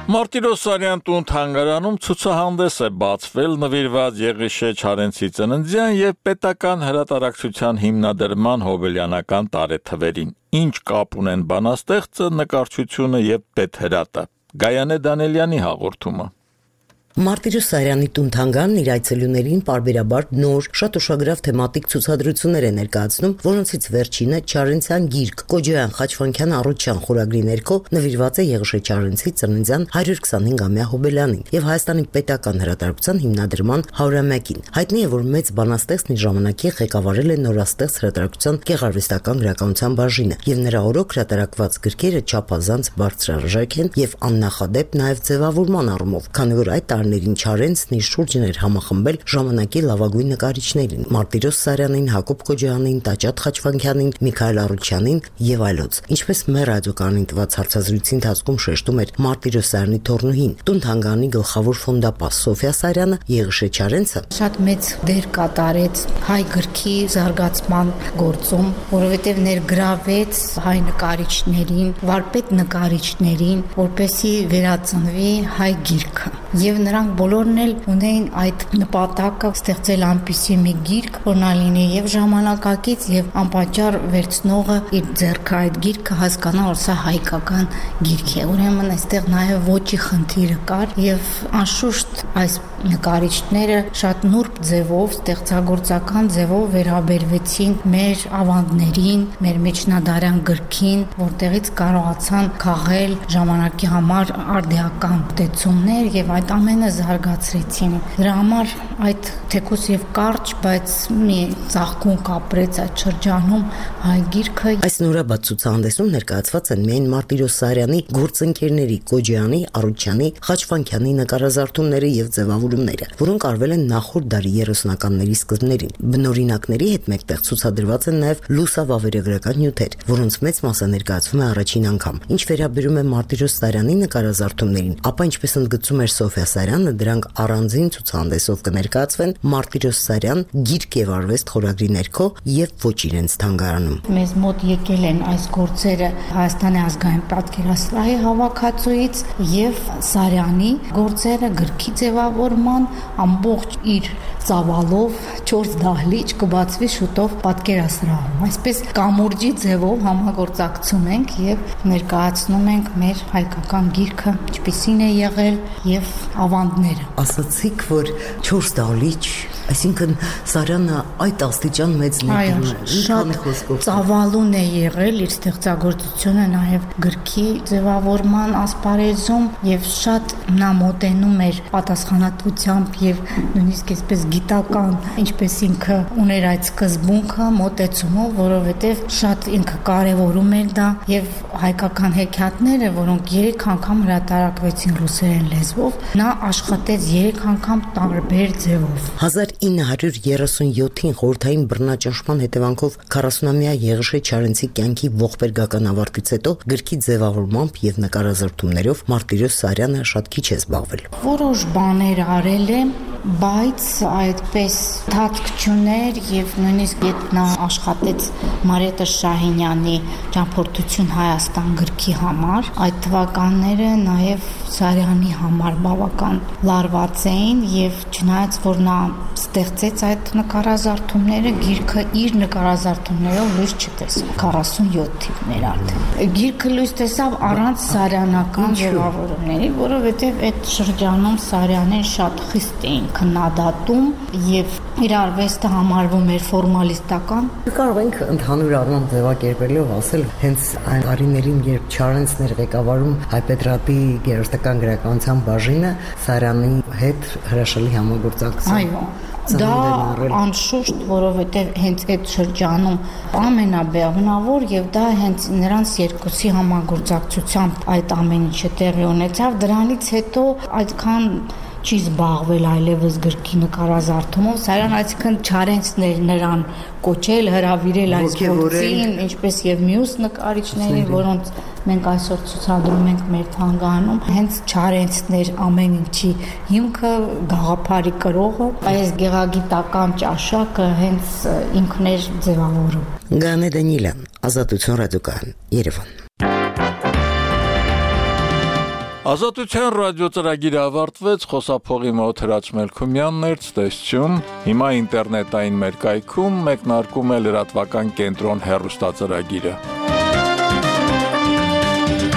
Մարտիրոսարյան տուն թանգարանում ցուցահանդես է բացվել նվիրված Եղիշե Չարենցի ծննդյան եւ պետական հրատարակչության հիմնադրման հոբելյանական տարեթվերին։ Ինչ կապ ունեն բանաստեղծը, նկարչությունը եւ պետհրատը։ Գայանե Դանելյանի հաղորդումը։ Մարտիրոս Սարյանի տուն թանգարանն իր այցելուներին պարբերաբար նոր, շատ ուշագրավ թեմատիկ ցուցադրություններ է ներկայացնում, որոնցից վերջինը Չարենցյան գիրք Կոջոյան Խաչվանքյան առողջյան խորագրի ներքո նվիրված է Եղիշե Չարենցի ծննդյան հարյուր քսանհինգամյա հոբելյանին եւ Հայաստանի պետական հրատարակչության հիմնադրման հարյուրամյակին։ Հայտնի է, որ մեծ բանաստեղծն իր ժամանակի ղեկավարել է նորաստեղծ հրատարակչության գեղարվեստական գրականության բաժինը եւ նրա օրոք հրատարակված գրքերը չափազանց բարձրարժեք են եւ աննախադեպ նաեւ ձևավորման առումով, քանի որ այդ ներին Չարենցն իր շուրջն էր համախմբել ժամանակի լավագույն նկարիչներին՝ Մարտիրոս Սարյանին, Հակոբ Կոջոյանին, Տաճատ Խաչվանքյանին, Միքայել Առուչյանին եւ այլոց։ Ինչպես մեր ռադիոկայանին տված հարցազրույցի ընթացքում շեշտում էր Մարտիրոս Սարյանի թորնուհին, տուն թանգարանի գլխավոր ֆոնդապաս Սոֆիա Սարյանը, Եղիշե Չարենցը շատ մեծ դեր կատարեց հայ գրքի զարգացման գործում, որովհետեւ ներգրավեց հայ նկարիչներին, վարպետ նկարիչներին, որպեսզի վերածնվի հայ գիրքը։ Եվ նրանք բոլորն էլ ունեին այդ նպատակը ստեղծել այնպիսի մի գիրք, որ նա լինի եւ ժամանակակից եւ անպատճառ վերցնողը իր ձեռքը այդ գիրքը հասկանա, որ սա հայկական գիրք է։ Ուրեմն այստեղ նաեւ ոճի խնդիրը կար եւ անշուշտ այս նկարիչները շատ նուրբ ձևով, ստեղծագործական ձևով վերաբերվեցին մեր ավանդներին, մեր միջնադարյան գրքին, որտեղից կարողացան քաղել ժամանակի համար արդիական տեսումներ եւ այդ ամենը զարգացրեցին։ Դրա համար այդ թեկուզ եւ կարճ, բայց մի ծաղկուն կապրեց այդ շրջանում հայ գիրքը։ Այս նորաբաց ցուցահանդեսում ներկայացված են միայն Մարտիրոս Սարյանի գործընկերների Կոջոյանի, Առուչյանի, Խաչվանքյանի նկարազարդումները եւ ձևավորումները, որոնք արվել են նախորդ դարի երեսունականների սկզբներին։ Բնօրինակների հետ մեկտեղ ցուցադրված են նաեւ լուսավավերագրական նյութեր, որոնց մեծ մասը ներկայացվում է առաջին անգամ։ Ինչ վերաբերում է Մարտիրոս Սարյանի նկարազարդումներին, ապա ինչպես ընդգծում էր Սոֆիա Սարյանը, դրանք առանձին ցուցահանդեսով կներկայացվեն Մարտիրոս Սարյան գիրք եւ արվեստ խորագրի ներքո եւ ոչ իրենց թանգարանում։ Մեզ մոտ եկել են այս գործերը Հայաստանի ազգային պատկերասրահի հավաքածուից եւ Սարյանի գործերը գրքի ձևավորման ամբողջ իր ծավալով չորս դահլիճ կբացվի շուտով պատկերասրահում։ Այսպես կամուրջի ձևով համագործակցում ենք եւ ներկայացնում ենք մեր հայկական գիրքը, ինչպիսին է եղել եւ ավանդները։ Ասացիք, որ չորս դահլիճ, այսինքն Սարյանը այդ աստիճան մեծ ներդրում է։ Շատ ծավալուն է եղել իր ստեղծագործությունը նաեւ գրքի ձևավորման ասպարեզում եւ շատ նա մոտենում էր պատասխանատվի անկախությամբ եւ նույնիսկ այսպես գիտական, ինչպես ինքը ուներ այդ սկզբունքը, մոտեցումով, որովհետեւ շատ ինքը կարևորում էր դա եւ հայկական հեքիաթները, որոնք երեք անգամ հրատարակվեցին ռուսերեն լեզվով, նա աշխատեց երեք անգամ տարբեր ձևով։ հազար ինը հարյուր երեսունյոթին խորհրդային բռնաճնշման հետևանքով քառասունամյա Եղիշե Չարենցի կյանքի ողբերգական ավարտից հետո գրքի ձևավորմամբ եւ նկարազարդումներով Մարտիրոս Սարյանը շատ քիչ է զբաղվել։ Որոշ բաներ արել եմ, բայց այդպես թատք չուներ եւ նույնիսկ երբ նա աշխատեց Մարիետտե Շահինյանի ճամփորդություն Հայաստան գրքի համար, այդ թվականները նաեւ Սարյանի համար բավական լարված էին եւ չնայած որ նա ստեղծեց այդ նկարազարդումները, գիրքը իր նկարազարդումներով լույս չտեսավ քառասունյոթ թիվներ արդեն։ Գիրքը լույս տեսավ առանց սարյանական ձևավորումների, որովհետեւ այդ շրջանում Սարյանեն շատ խիստ էին քննադատում եւ իր արվեստը համարվում էր ֆորմալիստական։ Կարող ենք ընդհանուր առմամբ ձևակերպելով ասել, հենց այն տարիներին, երբ Չարենցն էր ղեկավարում Հայպետրատի գերստական գրականության բաժինը, Սարյանի հետ հրաշալի համագործակցություն։ Այո, դա անշուշտ, որովհետև հենց այդ շրջանում ամենաբեղմնավոր եւ դա հենց նրանց երկուսի համագործակցությամբ այդ ամեն ինչը տեղի ունեցավ, դրանից հետո այդքան չի զբաղվել այլևս գրքի նկարազարդումով, Սարյան այսինքն Չարենցն էր նրան կոչել, հրավիրել այս գործին, ինչպես եւ մյուս նկարիչներին, որոնց մենք այսօր ցուցադրում ենք մեր թանգարանում, հենց Չարենցն էր ամեն ինչի հիմքը, գաղափարի կրողը, այս գեղագիտական ճաշակը հենց ինքն էր ձևավորում։ Գանե Դանիելյան, Ազատություն ռադիոկայան, Երևան։ Ազատության ռադիո ծրագիրը ավարտվեց, խոսափողի մոտ Հրաչ Մելքումյանն էր, ցտեսություն։ Հիմա ինտերնետային մեր կայքում մեկնարկում է լրատվական կենտրոն հեռուստածրագիրը։